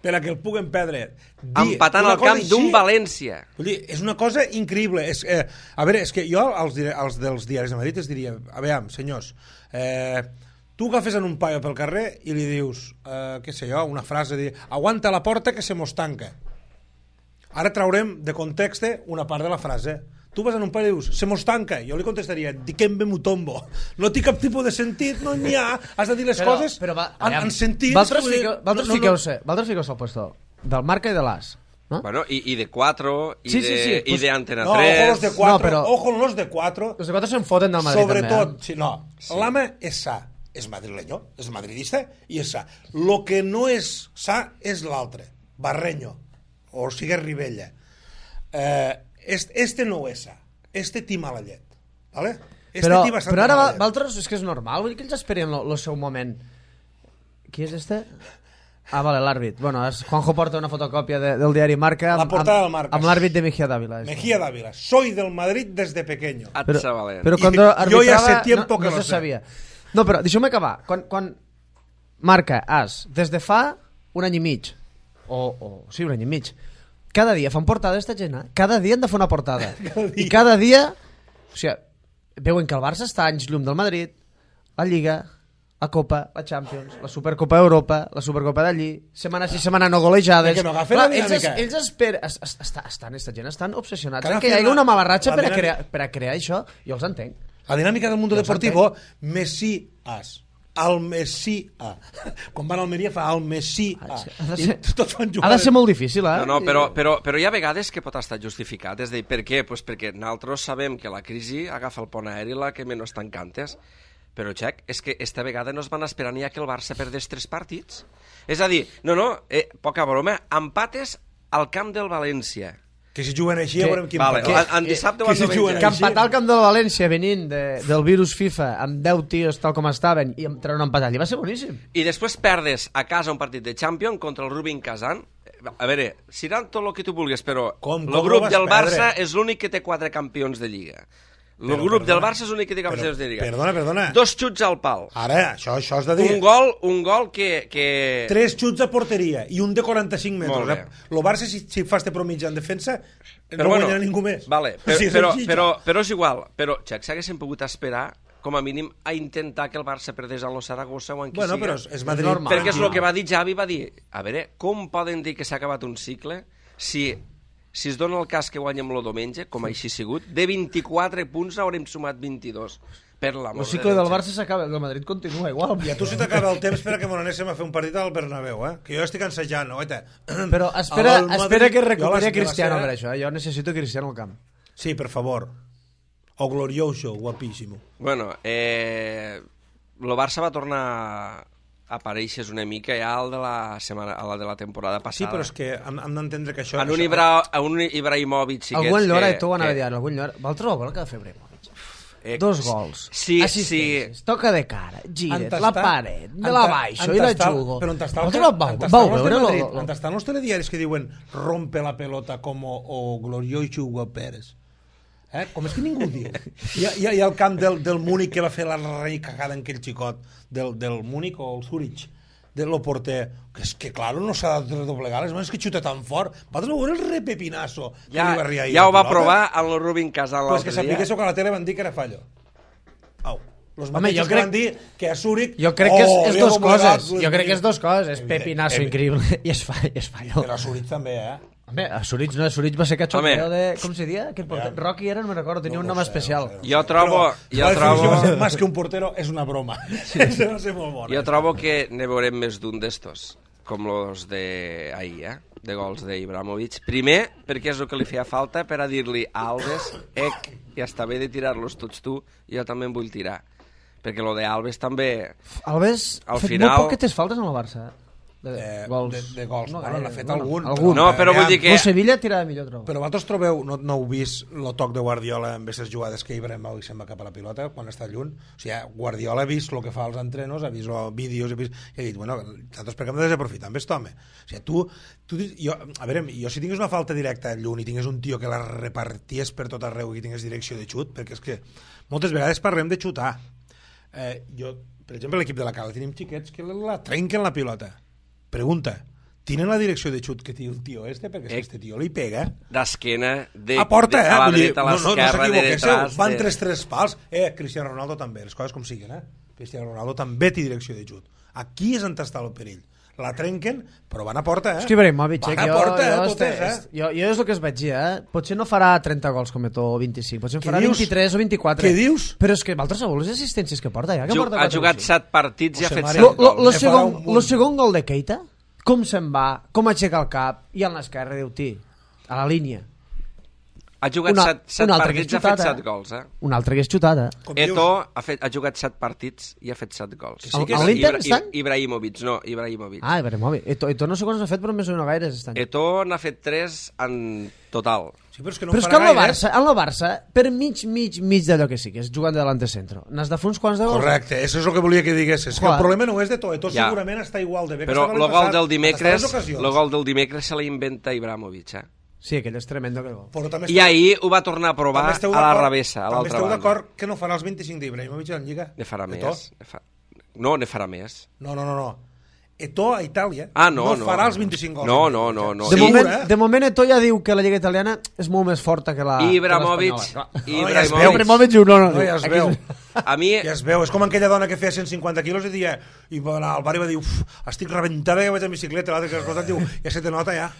Speaker 4: per a que el puguen perdre. Dir
Speaker 3: Empatant
Speaker 4: una
Speaker 3: al
Speaker 4: cosa
Speaker 3: camp d'un
Speaker 4: així,
Speaker 3: València.
Speaker 4: Vull dir, és una cosa increïble. És, eh, a veure, és que jo als, dire- als dels diaris de Madrid es diria, a veure, senyors, eh, tu agafes en un paio pel carrer i li dius, eh, què sé jo, una frase, de, aguanta la porta que se mos tanca. Ara traurem de context una part de la frase. Tu vas en un paio i dius, se mos tanca. Jo li contestaria, di que em ve mutombo. No té cap tipus de sentit, no n'hi ha. Has de dir les
Speaker 2: Però-
Speaker 4: coses
Speaker 2: però va-
Speaker 4: en,
Speaker 2: aviam,
Speaker 4: en sentit.
Speaker 2: Vosaltres
Speaker 4: vull dir,
Speaker 2: fiqueu- vosaltres
Speaker 4: no, no, no.
Speaker 2: fiqueu-se vosaltres fiqueu-se al puesto del Marca i de l'As, no?
Speaker 3: Bueno, i, i de quatre, i
Speaker 2: Sí, sí,
Speaker 3: de,
Speaker 2: sí,
Speaker 3: i
Speaker 2: pues-
Speaker 3: de Antena
Speaker 4: No, ojo
Speaker 3: tres...
Speaker 4: los de cuatro,
Speaker 2: No, però-
Speaker 4: ojo los de cuatro.
Speaker 2: Els de quatre se'n foten del Madrid,
Speaker 4: Sobretot,
Speaker 2: també, eh?
Speaker 4: sí, no, sí. L'Ama és sa, és madrileño, és madridista i és sa. Lo que no és sa és l'altre, Barreño, o sigui Ribella. Eh, este, este no ho és sa, este té mala llet, ¿vale? Este
Speaker 2: Però,
Speaker 4: té bastanta
Speaker 2: però ara
Speaker 4: mala
Speaker 2: va-
Speaker 4: llet.
Speaker 2: vosaltres, és que és normal, vull dir que ells esperen el seu moment. Qui és este? Ah, vale, l'àrbit. Bueno, és, Juanjo porta una fotocòpia de, del diari Marca
Speaker 4: La
Speaker 2: amb,
Speaker 4: portada
Speaker 2: amb,
Speaker 4: del Marca.
Speaker 2: amb l'àrbit de Mejía Dávila. este.
Speaker 4: Mejía Dávila, soy del Madrid desde pequeño.
Speaker 3: Et
Speaker 2: Però,
Speaker 3: Sabalent.
Speaker 2: però
Speaker 4: I
Speaker 2: quan
Speaker 4: jo ja
Speaker 2: arbitrava
Speaker 4: sé tiempo
Speaker 2: no,
Speaker 4: que
Speaker 2: no
Speaker 4: lo
Speaker 2: se
Speaker 4: sé.
Speaker 2: sabia. No, però deixeu-me acabar. Quan, quan Marca, As, des de fa un any i mig, o, o sí, un any i mig, cada dia fan portada esta gent, eh? Cada dia han de fer una portada.
Speaker 4: Cada dia.
Speaker 2: I cada dia, o sigui, veuen que el Barça està a anys llum del Madrid, la Lliga, la Copa, la Champions, la Supercopa d'Europa, la Supercopa d'allí, setmana sí, setmana no golejades.
Speaker 4: Que no agafen la
Speaker 2: ells, es-
Speaker 4: dinàmica.
Speaker 2: ells esperen, es, es, està, estan, esta gent estan obsessionats
Speaker 4: Que
Speaker 2: en que
Speaker 4: agafen
Speaker 2: hi hagi
Speaker 4: la-
Speaker 2: una mala ratxa
Speaker 4: la
Speaker 2: per a,
Speaker 4: dinàmica.
Speaker 2: crear, per a crear això. Jo els entenc.
Speaker 4: La dinàmica del mundo
Speaker 2: Ja ho
Speaker 4: deportivo, Messi-as. El Messi-a. Quan van a Almeria fa el Messi-a.
Speaker 2: Ha de
Speaker 4: I
Speaker 2: ser,
Speaker 4: tots van
Speaker 2: ha
Speaker 4: jugar...
Speaker 2: de ser molt difícil, eh?
Speaker 3: No, no, però, però, però hi ha vegades que pot estar justificat. És a dir, per què? Pues perquè nosaltres sabem que la crisi agafa el pont aeri la que menys tancantes. Però, Xec, és que esta vegada no es van esperar ni a que el Barça perdés tres partits. És a dir, no, no, eh, poca broma, empates al camp del València.
Speaker 4: Que si juguen així
Speaker 2: Que-
Speaker 4: ja veurem qui
Speaker 3: Vale,
Speaker 4: empata.
Speaker 3: en, en dissabte o
Speaker 4: que
Speaker 3: en
Speaker 4: si juguen
Speaker 3: diumenge.
Speaker 2: Que
Speaker 4: així-
Speaker 2: empatar al camp del València venint de, del virus FIFA amb deu tios tal com estaven i amb treure un empat allí va ser boníssim.
Speaker 3: I després perdes a casa un partit de Champions contra el Rubin Kazan. A veure, seran tot el que tu vulguis, però
Speaker 4: Com-
Speaker 3: el
Speaker 4: com
Speaker 3: grup
Speaker 4: ho vas
Speaker 3: del Barça
Speaker 4: perdre?
Speaker 3: és l'únic que té quatre campions de Lliga. El grup del Barça és l'únic que té capacitat de lligar.
Speaker 4: Perdona, perdona.
Speaker 3: Dos xuts al pal.
Speaker 4: Ara, això, això has de dir...
Speaker 3: Un gol, un gol que... que...
Speaker 4: Tres xuts a porteria i un de quaranta-cinc metres.
Speaker 3: Molt bé.
Speaker 4: El Barça, si, si fa este promitja en defensa,
Speaker 3: Però
Speaker 4: no
Speaker 3: bueno,
Speaker 4: guanyarà ningú més.
Speaker 3: Vale,
Speaker 4: O
Speaker 3: però,
Speaker 4: sigui, és
Speaker 3: però,
Speaker 4: senzill.
Speaker 3: però, però és igual. Però, Xac, s'haguessin pogut esperar com a mínim a intentar que el Barça perdés a lo Saragossa o en qui
Speaker 4: Bueno,
Speaker 3: siga.
Speaker 4: però és, és Madrid.
Speaker 2: normal.
Speaker 3: Perquè és el que va dir Xavi, va dir, a veure, com poden dir que s'ha acabat un cicle si, si es dona el cas que guanyem el diumenge, com així ha sigut, de vint-i-quatre punts haurem sumat vint-i-dos. Per l'amor
Speaker 2: El
Speaker 3: de
Speaker 2: cicle
Speaker 3: Déu,
Speaker 2: del
Speaker 3: Xavi.
Speaker 2: Barça s'acaba, el Madrid continua igual.
Speaker 4: I a tu se t'acaba el temps per a que m'ho anéssim a fer un partit al Bernabéu, eh? Que jo estic ensajant, oita.
Speaker 2: Però espera,
Speaker 4: Al Madrid-
Speaker 2: espera que
Speaker 4: jo
Speaker 2: recuperi
Speaker 4: la-
Speaker 2: a Cristiano
Speaker 4: la-
Speaker 2: per això, eh? Jo necessito Cristiano al camp.
Speaker 4: Sí, per favor. O glorioso, guapíssimo.
Speaker 3: Bueno, eh, el Barça va tornar a aparèixer una mica ja al de la, setmana, a la de la temporada
Speaker 4: Sí,
Speaker 3: passada.
Speaker 4: però és que hem, hem d'entendre que això...
Speaker 3: En un,
Speaker 4: això-
Speaker 3: Ibra, en un Ibrahimovic sí
Speaker 2: Algú en Llora,
Speaker 3: que,
Speaker 2: i tu ho anava
Speaker 3: que-
Speaker 2: dient, algú en Llora... Val trobar el que ha de fer Ibrahimovic.
Speaker 3: eh,
Speaker 2: Dos gols,
Speaker 3: Sí,
Speaker 2: assistències,
Speaker 3: sí.
Speaker 2: toca de cara, giret,
Speaker 4: Entestar-
Speaker 2: la paret, me
Speaker 4: enta-
Speaker 2: la baixo i la
Speaker 4: entestar-
Speaker 2: jugo.
Speaker 4: Però entestar
Speaker 2: Vosaltres
Speaker 4: el que-
Speaker 2: vau,
Speaker 4: entestar
Speaker 2: vau
Speaker 4: els de
Speaker 2: veure
Speaker 4: Madrid,
Speaker 2: lo- lo-
Speaker 4: entestar els telediaris que diuen rompe la pelota com o, o glorioso Hugo Pérez. Eh? Com és que ningú ho diu? Hi ha, hi ha, hi ha el camp del, del Múnich que va fer la rei cagada en aquell xicot del, del Múnich o el Zurich de lo porter, que és que claro no s'ha de redoblegar les mans, que xuta tan fort. Vosaltres veure el repepinasso que
Speaker 3: Ja,
Speaker 4: li va arriar ahir
Speaker 3: ja
Speaker 4: a
Speaker 3: ho va
Speaker 4: pilota?
Speaker 3: provar en el Rubin Casal
Speaker 4: Pues que
Speaker 3: l'altre dia.
Speaker 4: sapiguéssiu que a la tele van dir que era fallo. Au. Los
Speaker 2: Home,
Speaker 4: mateixos
Speaker 2: jo
Speaker 4: que
Speaker 2: crec-
Speaker 4: van dir que a Zurich...
Speaker 2: Jo crec que és,
Speaker 4: oh,
Speaker 2: és
Speaker 4: li ha
Speaker 2: dos
Speaker 4: doblegat
Speaker 2: coses.
Speaker 4: les
Speaker 2: Jo crec que és
Speaker 4: mans.
Speaker 2: dos coses. És
Speaker 4: Evident-
Speaker 2: pepinazo
Speaker 4: evident.
Speaker 2: increïble i es, fa, i es fallo.
Speaker 4: Però a Zurich també, eh?
Speaker 2: Home, a Zurich no, a Zurich va ser cachondeo
Speaker 3: Home.
Speaker 2: de... Com se dia? Aquell porter?
Speaker 4: Ja.
Speaker 2: Rocky era, no me recordo, tenia
Speaker 4: No,
Speaker 2: un
Speaker 4: no
Speaker 2: nom
Speaker 4: sé,
Speaker 2: especial.
Speaker 4: no sé, no sé.
Speaker 3: Jo trobo-
Speaker 4: Però
Speaker 3: jo
Speaker 4: la definició
Speaker 3: trobo-
Speaker 4: va ser, más que un portero és una broma. Sí. va ser molt bona.
Speaker 3: Jo trobo que ne veurem més d'un d'estos, com los de ahir, eh? de gols d'Ibrahimovic. Primer, perquè és el que li feia falta per a dir-li a Alves, ec, ja està bé de tirar-los tots tu, jo també en vull tirar. Perquè lo de Alves també...
Speaker 2: Alves ha
Speaker 3: Al
Speaker 2: fet
Speaker 3: final-
Speaker 2: molt poquetes faltes en el Barça. eh? De,
Speaker 4: Eh,
Speaker 2: gols.
Speaker 4: de- de gols. Bueno,
Speaker 2: gaire,
Speaker 4: n'ha fet
Speaker 2: bueno,
Speaker 4: algun,
Speaker 2: algun.
Speaker 3: No, però vull
Speaker 4: Aviam,
Speaker 3: dir que...
Speaker 2: El Sevilla tirava millor, trobo.
Speaker 4: Però vosaltres trobeu, no, no heu vist el toc de Guardiola en aquestes jugades que Ibrahimovic se'n va cap a la pilota quan està lluny? O sigui, Guardiola ha vist el que fa als entrenos, ha vist els vídeos, ha vist, i ha dit, bueno, nosaltres per què hem de desaprofitar amb aquest home? O sigui, tu, tu jo, a veure, jo si tingués una falta directa lluny i tingués un tio que la reparties per tot arreu i que tingués direcció de xut, perquè és que moltes vegades parlem de xutar. Eh, jo, per exemple, l'equip de la Cala tenim xiquets que la trenquen la pilota. Pregunta, ¿tienen la direcció de xut que té el tio este? Perquè si
Speaker 3: Eh.
Speaker 4: este tio li pega...
Speaker 3: D'esquena, de,
Speaker 4: A porta,
Speaker 3: de,
Speaker 4: eh?
Speaker 3: a la
Speaker 4: Vull dir,
Speaker 3: dreta, a
Speaker 4: no, no, no
Speaker 3: l'esquerra, de
Speaker 4: s'equivoquéssiu,
Speaker 3: detrás...
Speaker 4: van
Speaker 3: de...
Speaker 4: tres, tres pals. Eh, Cristiano Ronaldo també, les coses com siguen, eh? Cristiano Ronaldo també té direcció de xut. Aquí és on està el perill. La trenquen, però van a porta, eh?
Speaker 2: És que Ibrahimovic, eh,
Speaker 4: van a
Speaker 2: jo,
Speaker 4: porta,
Speaker 2: jo,
Speaker 4: eh,
Speaker 2: este,
Speaker 4: totes, eh?
Speaker 2: jo, jo és el que es vaig dir, eh? Potser no farà trenta gols com Eto'o o vint-i-cinc, potser en
Speaker 4: Què
Speaker 2: farà
Speaker 4: dius?
Speaker 2: vint-i-tres o vint-i-quatre.
Speaker 4: Què dius?
Speaker 2: Però és que vosaltres sabeu les assistències que porta, ja? Que
Speaker 3: Ju-
Speaker 2: porta
Speaker 3: ha
Speaker 2: quatre o
Speaker 3: jugat
Speaker 2: cinc.
Speaker 3: set partits i ha
Speaker 4: José
Speaker 3: fet
Speaker 4: María.
Speaker 3: set
Speaker 2: Lo, lo,
Speaker 3: gols.
Speaker 2: lo,
Speaker 4: Ne farà
Speaker 2: segon,
Speaker 4: un munt.
Speaker 2: lo segon gol de Keita, com se'n va, com aixeca el cap, i en l'esquerra diu, ti, a la línia.
Speaker 3: Ha jugat
Speaker 2: Una-
Speaker 3: set, set
Speaker 2: un altre que
Speaker 3: partits i
Speaker 2: és
Speaker 3: ha fet
Speaker 2: xutat, eh?
Speaker 3: set gols, eh?
Speaker 2: Un altre que és xutat, eh?
Speaker 4: Com dius?
Speaker 3: Eto'o ha, fet, ha jugat set partits i ha fet set gols.
Speaker 4: sí que
Speaker 2: A
Speaker 4: és-
Speaker 2: l'Inter
Speaker 3: Ibra-
Speaker 2: estan?
Speaker 3: Ibrahimovic, no, Ibrahimovic.
Speaker 2: Ah, Ibrahimovic. Eto'o Eto no sé quants n'ha fet, però més o no gaires estan.
Speaker 3: Eto'o n'ha fet tres en total.
Speaker 4: Sí, però és que no
Speaker 2: Però és
Speaker 4: farà
Speaker 2: que en el
Speaker 4: gaire.
Speaker 2: Barça, en el Barça, per mig, mig, mig d'allò que sigues, jugant de delante centro, n'has de fer uns quants de gols.
Speaker 4: Correcte, això és el que volia que diguessis. Que
Speaker 2: Clar.
Speaker 4: el problema no és de tot, tot
Speaker 3: Ja.
Speaker 4: segurament està igual de bé que
Speaker 3: Però
Speaker 4: estava
Speaker 3: el
Speaker 4: l'any
Speaker 3: gol
Speaker 4: passat,
Speaker 3: del
Speaker 4: hasta
Speaker 3: dimecres,
Speaker 4: les ocasions.
Speaker 3: el gol del dimecres se l'inventa Ibrahimovic, eh?
Speaker 2: Sí, aquell és tremendo, aquell gol.
Speaker 4: Però també
Speaker 3: I ahir ho va tornar a
Speaker 4: també
Speaker 3: provar
Speaker 4: esteu
Speaker 3: a la
Speaker 4: d'acord-
Speaker 3: revessa, a
Speaker 4: També
Speaker 3: l'altra
Speaker 4: esteu
Speaker 3: banda.
Speaker 4: d'acord que no farà els vint-i-cinc d'Ibrahimovic en Lliga?
Speaker 3: Ne farà
Speaker 4: Eto'o?
Speaker 3: més. Ne fa... No, ne farà més.
Speaker 4: No, no, no, no. Eto'o a Itàlia
Speaker 3: Ah, no, no.
Speaker 4: farà els vint-i-cinc gols.
Speaker 3: No, no, no, no.
Speaker 2: De,
Speaker 3: Sí.
Speaker 2: moment,
Speaker 4: eh?
Speaker 2: de moment Eto'o ja diu que la Lliga Italiana és molt més forta que la
Speaker 3: Ibrahimovic,
Speaker 2: que l'espanyola.
Speaker 4: No, ja es
Speaker 3: Ibrahimovic,
Speaker 4: veu.
Speaker 2: Ibrahimovic diu, no, no,
Speaker 4: No,
Speaker 2: diu,
Speaker 4: ja es
Speaker 2: aquí
Speaker 4: veu.
Speaker 2: és-
Speaker 3: a mi,
Speaker 4: Ja es veu, és com aquella dona que feia cent cinquanta quilos i dia, i va anar al bar i va dir, uf, estic rebentada que vaig en bicicleta, l'altre que has escoltat diu, ja se te nota ja.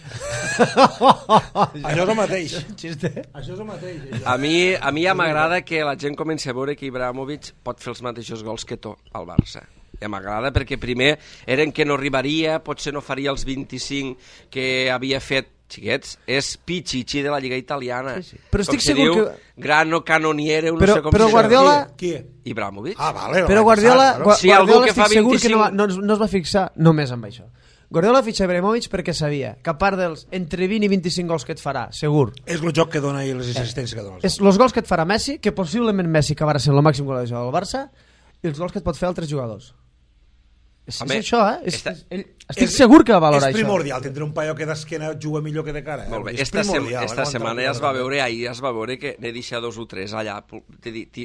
Speaker 4: Això és el mateix.
Speaker 2: Xiste.
Speaker 4: Això és el mateix. Això.
Speaker 3: a mi, a mi ja m'agrada que la gent comenci a veure que Ibrahimovic pot fer els mateixos gols que Eto'o al Barça. Ja m'agrada perquè primer eren que no arribaria, potser no faria els vint-i-cinc que havia fet, xiquets, és Pichichi de la Lliga Italiana.
Speaker 2: Sí, sí. Però estic
Speaker 3: Com se
Speaker 2: segur
Speaker 3: diu,
Speaker 2: que-
Speaker 3: Grano Canoniere, no
Speaker 2: Però-
Speaker 3: sé com
Speaker 2: però
Speaker 3: se
Speaker 2: Guardiola-
Speaker 3: diu.
Speaker 4: Qui?
Speaker 3: Ibrahimovic.
Speaker 4: Ah, vale.
Speaker 2: Però
Speaker 4: l'any
Speaker 2: Guardiola,
Speaker 4: passat,
Speaker 2: Gua-
Speaker 4: claro.
Speaker 3: Si algú
Speaker 2: Guardiola
Speaker 3: que fa
Speaker 2: estic segur que no, va,
Speaker 3: vint-i-cinc
Speaker 2: no, no es va fixar només amb això. Guardiola fitxa Ibrahimovic perquè sabia que a part dels entre vint i vint-i-cinc gols que et farà, segur,
Speaker 4: És el joc que dona i les assistències que dona.
Speaker 2: és els gols que et farà Messi, que possiblement Messi acabarà sent el màxim golejador del Barça, i els gols que et pot fer altres jugadors. És,
Speaker 3: Home,
Speaker 2: és això, eh? És,
Speaker 3: esta-
Speaker 2: ell, estic segur que valora
Speaker 4: És
Speaker 2: això.
Speaker 4: primordial tindre un paio que d'esquena juga millor que de cara.
Speaker 3: Molt bé,
Speaker 4: És
Speaker 3: esta, sem
Speaker 4: primordial,
Speaker 3: esta
Speaker 4: eh,
Speaker 3: setmana
Speaker 4: contra-
Speaker 3: ja es va veure, ahir es va veure que n'he deixat dos o tres allà,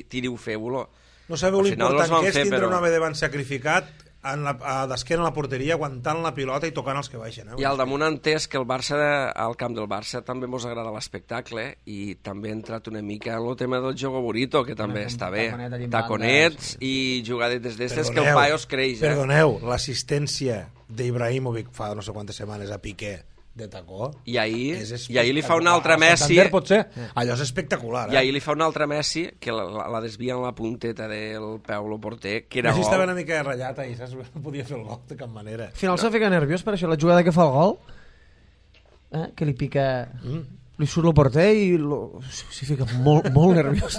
Speaker 3: tiriu feu-lo.
Speaker 4: No sabeu
Speaker 3: Al final no es
Speaker 4: l'important
Speaker 3: van
Speaker 4: que és
Speaker 3: fer,
Speaker 4: tindre
Speaker 3: però-
Speaker 4: un home davant sacrificat en la, a d'esquena a la porteria, aguantant la pilota i tocant els que baixen. Eh?
Speaker 3: I al damunt han entès que el Barça, al camp del Barça, també mos agrada l'espectacle i també ha entrat una mica en el tema del jogo bonito, que també
Speaker 2: Una-
Speaker 3: està
Speaker 2: un
Speaker 3: bé.
Speaker 2: taconet allí en
Speaker 3: Taconets
Speaker 2: banda,
Speaker 3: i jugadetes d'estes que el
Speaker 4: Perdoneu,
Speaker 3: paio es creix. Eh?
Speaker 4: Perdoneu, l'assistència d'Ibrahimovic fa no sé quantes setmanes a Piqué de tacó.
Speaker 3: I ahir,
Speaker 4: és
Speaker 3: i ahir li fa un altre
Speaker 4: espectacular.
Speaker 3: Messi...
Speaker 4: Santander pot ser. Allò és espectacular.
Speaker 3: I
Speaker 4: Eh?
Speaker 3: ahir li fa un altre Messi que la, la, la desvia en la punteta del peu el porter, que era
Speaker 4: Messi
Speaker 3: gol.
Speaker 4: estava una mica ratllat ahir, saps? No podia fer el gol de cap manera.
Speaker 2: Al final no. s'ha ficat nerviós per això, la jugada que fa el gol, eh? que li pica...
Speaker 4: Mm.
Speaker 2: Li surt el porter i lo... s'hi fica molt, molt nerviós.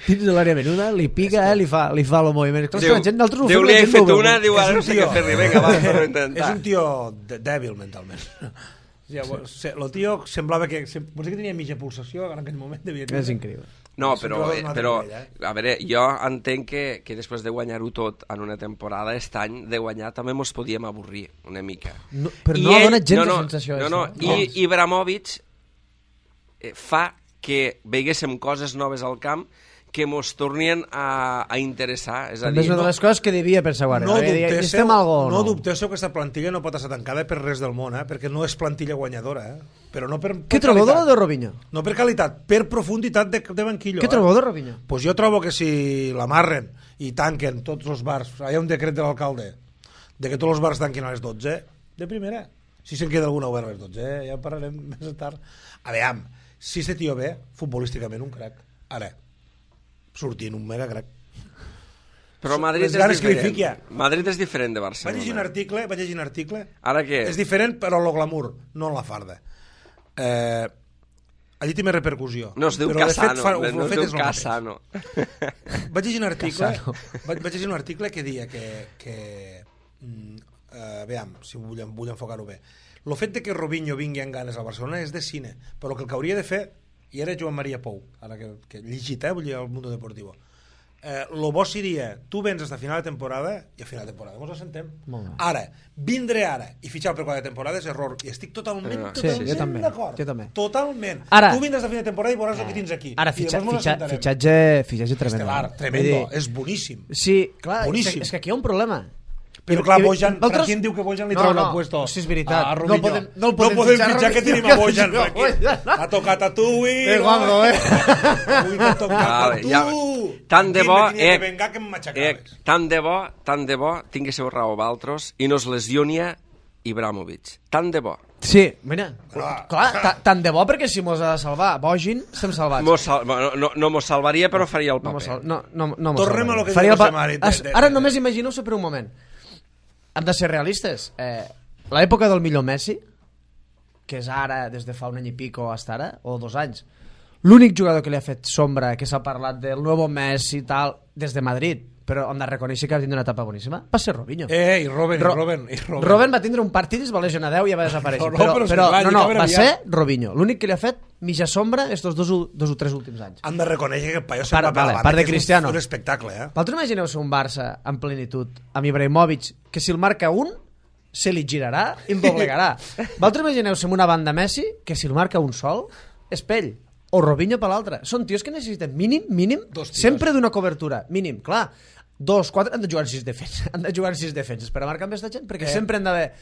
Speaker 2: Dins de l'àrea menuda, li pica, eh? li fa, li fa el moviment. Clar,
Speaker 3: Diu,
Speaker 2: la gent, nosaltres ho
Speaker 3: Déu
Speaker 2: fem,
Speaker 3: li
Speaker 2: la
Speaker 3: he
Speaker 2: gent no ho
Speaker 3: fet
Speaker 2: veu.
Speaker 3: una, diu,
Speaker 4: És
Speaker 3: ara
Speaker 4: un
Speaker 3: no sé
Speaker 4: tio-
Speaker 3: què fer-li, vinga, va, per intentar.
Speaker 4: És un tio de- dèbil mentalment. Ja, el tio semblava que... Potser que tenia mitja pulsació, en aquell moment devia tenir.
Speaker 2: És increïble.
Speaker 3: No,
Speaker 4: Sempre
Speaker 3: però,
Speaker 4: va
Speaker 3: eh,
Speaker 4: donar
Speaker 3: però
Speaker 4: nivell, eh?
Speaker 3: a veure, jo entenc que, que després de guanyar-ho tot en una temporada, aquest any de guanyar també mos podíem avorrir una mica.
Speaker 2: No, però
Speaker 3: I
Speaker 2: no ha
Speaker 3: ell-
Speaker 2: donat gens
Speaker 3: no,
Speaker 2: de
Speaker 3: no,
Speaker 2: sensació,
Speaker 3: no,
Speaker 2: això,
Speaker 3: no,
Speaker 2: eh?
Speaker 3: i Ibrahimovic eh, fa que veiguéssim coses noves al camp que mos tornien a, a interessar. És a
Speaker 2: També
Speaker 3: dir,
Speaker 2: és una de les coses que devia pensar Guardiola.
Speaker 4: No
Speaker 2: Deia,
Speaker 4: dubteu,
Speaker 2: "Estem algo o
Speaker 4: no
Speaker 2: no?"
Speaker 4: dubteu que aquesta plantilla no pot estar tancada per res del món, eh? Perquè no és plantilla guanyadora, eh? Però no per, per
Speaker 2: Què trobeu de la
Speaker 4: qualitat.
Speaker 2: de Robinho?
Speaker 4: No per qualitat, per profunditat de, de banquillo.
Speaker 2: Què
Speaker 4: eh?
Speaker 2: trobeu de Robinho?
Speaker 4: Pues jo trobo que si l'amarren i tanquen tots els bars, hi ha un decret de l'alcalde de que tots els bars tanquin a les dotze, de primera. Si se'n queda alguna obert a les dotze, eh? Ja en parlarem més tard. A veure, si este tio ve, futbolísticament un crac. Ara, sortint un mega crac.
Speaker 3: Però Madrid
Speaker 4: Les
Speaker 3: és
Speaker 4: ganes que li
Speaker 3: diferent.
Speaker 4: fiqui, ja.
Speaker 3: Madrid és diferent de
Speaker 4: Vaig llegir un
Speaker 3: Barcelona.
Speaker 4: article, vaig llegir un article.
Speaker 3: Ara què?
Speaker 4: És diferent, però en lo glamour, no en la farda. Eh, allí té més repercussió.
Speaker 3: No es diu
Speaker 4: Però, de fet,
Speaker 3: Casano,
Speaker 4: fa-
Speaker 3: no
Speaker 4: lo
Speaker 3: es
Speaker 4: fet
Speaker 3: diu
Speaker 4: és lo mateix.
Speaker 3: Casano.
Speaker 4: Vaig llegir un article,
Speaker 2: Casano.
Speaker 4: vaig, vaig llegir un article que deia que, que mm, eh, veam, si vull, vull enfocar-ho bé. El fet de que Robinho vingui amb ganes al Barcelona és de cine, però el que el que hauria de fer, i era Joan Maria Pou, ara que, que he llegit, eh, vull dir, al Mundo Deportivo, eh, lo bo seria, tu vens fins a final de temporada i a final de temporada ens assentem.
Speaker 2: Molt bé.
Speaker 4: Ara, vindre ara i fitxar per quatre temporades és error, i estic totalment,
Speaker 3: Sí,
Speaker 4: totalment
Speaker 2: jo també,
Speaker 4: d'acord.
Speaker 2: jo també.
Speaker 4: Totalment.
Speaker 2: Ara-
Speaker 4: tu vindràs a final de temporada i veuràs el que tens aquí.
Speaker 2: Ara,
Speaker 4: I
Speaker 2: fitxa,
Speaker 4: llavors mos
Speaker 2: fitxa,
Speaker 4: assentarem.
Speaker 2: fitxatge, fitxatge tremendo.
Speaker 4: Estelar,
Speaker 2: Vull
Speaker 4: tremendo,
Speaker 2: dir,
Speaker 4: és boníssim.
Speaker 2: Sí, clar, és
Speaker 4: Boníssim.
Speaker 2: que, és que aquí hi ha un problema.
Speaker 4: Però
Speaker 2: I-
Speaker 4: clar,
Speaker 2: i-
Speaker 4: Bojan,
Speaker 2: vosaltres-
Speaker 4: Franquín diu que Bojan li
Speaker 2: No,
Speaker 4: treu
Speaker 2: no,
Speaker 4: el puesto.
Speaker 2: sí, és veritat.
Speaker 4: a
Speaker 2: No
Speaker 4: Robinho.
Speaker 2: podem- no el
Speaker 4: no
Speaker 2: podem
Speaker 4: podem
Speaker 2: fitxar
Speaker 4: fitxar, que
Speaker 2: Robinho,
Speaker 4: tenim a
Speaker 2: que
Speaker 4: Bojan,
Speaker 2: juga
Speaker 4: Franquín.
Speaker 2: Bojan.
Speaker 4: Ha tocat a tu, i...
Speaker 2: Eh, Juanjo, eh?
Speaker 4: Avui t'ha tocat a
Speaker 3: Vale,
Speaker 4: tu.
Speaker 3: ja- tant de
Speaker 4: Franquín,
Speaker 3: bo,
Speaker 4: me tenia
Speaker 3: eh,
Speaker 4: que vengar que em
Speaker 3: Eh,
Speaker 4: matxacaves.
Speaker 3: tant de bo, tant de bo, tinguéssiu raó valtros i no es lesionia Ibrahimovic. Tant de bo.
Speaker 2: Sí, mira,
Speaker 4: Clar.
Speaker 2: clar, ta- tant de bo perquè si mos ha de salvar Bogin, estem salvats.
Speaker 3: Mos sal... no, no, no mos salvaria, però faria el
Speaker 2: No, mos
Speaker 3: paper.
Speaker 2: sal... no, no, no mos
Speaker 4: Tornem
Speaker 2: salvaria.
Speaker 4: a lo que
Speaker 2: Faria
Speaker 4: diu
Speaker 2: el pa-
Speaker 4: José Mari, de-
Speaker 2: As-
Speaker 4: de-
Speaker 2: Ara
Speaker 4: de-
Speaker 2: només imagineu-se per un moment. Hem de ser realistes. Eh, L'època del millor Messi, que és ara, des de fa un any i pico hasta ara, o dos anys, l'únic jugador que li ha fet sombra, que s'ha parlat del nuevo Messi i tal, des de Madrid, però hem de reconèixer que va tindre una etapa boníssima, va ser Robinho.
Speaker 4: Eh, i Robben, i
Speaker 2: Ro-
Speaker 4: Robben, i Robben.
Speaker 2: Robben va tindre un partit i es va lesionar deu i ja va desaparèixer.
Speaker 4: No, no,
Speaker 2: però,
Speaker 4: però és
Speaker 2: però,
Speaker 4: clar,
Speaker 2: no,
Speaker 4: li
Speaker 2: no,
Speaker 4: acaba
Speaker 2: va
Speaker 4: aviat.
Speaker 2: ser Robinho. L'únic que li ha fet mitja sombra estos dos, u- dos o tres últims anys.
Speaker 4: Han de reconèixer que el paio se'n
Speaker 2: Part-
Speaker 4: va per la
Speaker 2: vale,
Speaker 4: banda,
Speaker 2: part de
Speaker 4: que és un-
Speaker 2: Cristiano.
Speaker 4: Un espectacle, eh?
Speaker 2: Vosaltres imagineu-se un Barça en plenitud amb Ibrahimovic, que si el marca un se li girarà i el doblegarà. Vosaltres imagineu-se una banda Messi que si el marca un sol és pell, o Robinho per l'altre. Són tios que necessiten mínim, mínim,
Speaker 4: Dos tios.
Speaker 2: sempre d'una cobertura, mínim, clar. Dos, quatre, han de jugar en sis defenses, han de jugar en sis defenses per a marcar amb aquesta gent, perquè
Speaker 4: Eh.
Speaker 2: sempre han d'haver...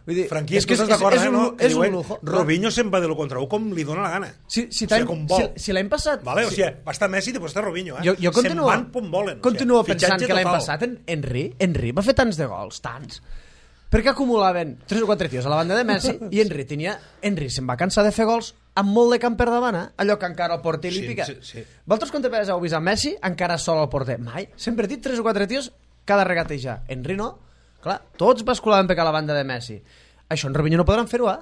Speaker 2: Vull dir,
Speaker 4: Franquí,
Speaker 2: és que és,
Speaker 4: estàs
Speaker 2: és,
Speaker 4: d'acord,
Speaker 2: és,
Speaker 4: eh,
Speaker 2: un,
Speaker 4: no? Que
Speaker 2: és un
Speaker 4: diuen,
Speaker 2: lujo.
Speaker 4: Robinho se'n va de lo contra u com li dóna la gana.
Speaker 2: Si, si,
Speaker 4: O sigui,
Speaker 2: l'any-
Speaker 4: com vol.
Speaker 2: si, si l'any passat...
Speaker 4: Vale, o
Speaker 2: si,
Speaker 4: sigui, va estar Messi i després està Robinho, eh?
Speaker 2: jo, jo continuo,
Speaker 4: Se'n van com volen.
Speaker 2: continuo
Speaker 4: o sigui,
Speaker 2: pensant
Speaker 4: fitxatge
Speaker 2: que l'any
Speaker 4: total.
Speaker 2: passat en Henry, Henry va fer tants de gols, tants, perquè acumulaven tres o quatre tios a la banda de Messi i Henry tenia... Henry se'n va cansar de fer gols amb molt de camp per davant, eh? Allò que encara el porter li
Speaker 4: Sí,
Speaker 2: pica.
Speaker 4: sí, sí.
Speaker 2: Vosaltres quantes vegades heu vist a Messi encara sol al porter? Mai. Sempre he dit tres o quatre tios cada regatejar. Henry no. Clar, tots basculaven per a la banda de Messi. Això en Robinho no podran fer-ho, eh?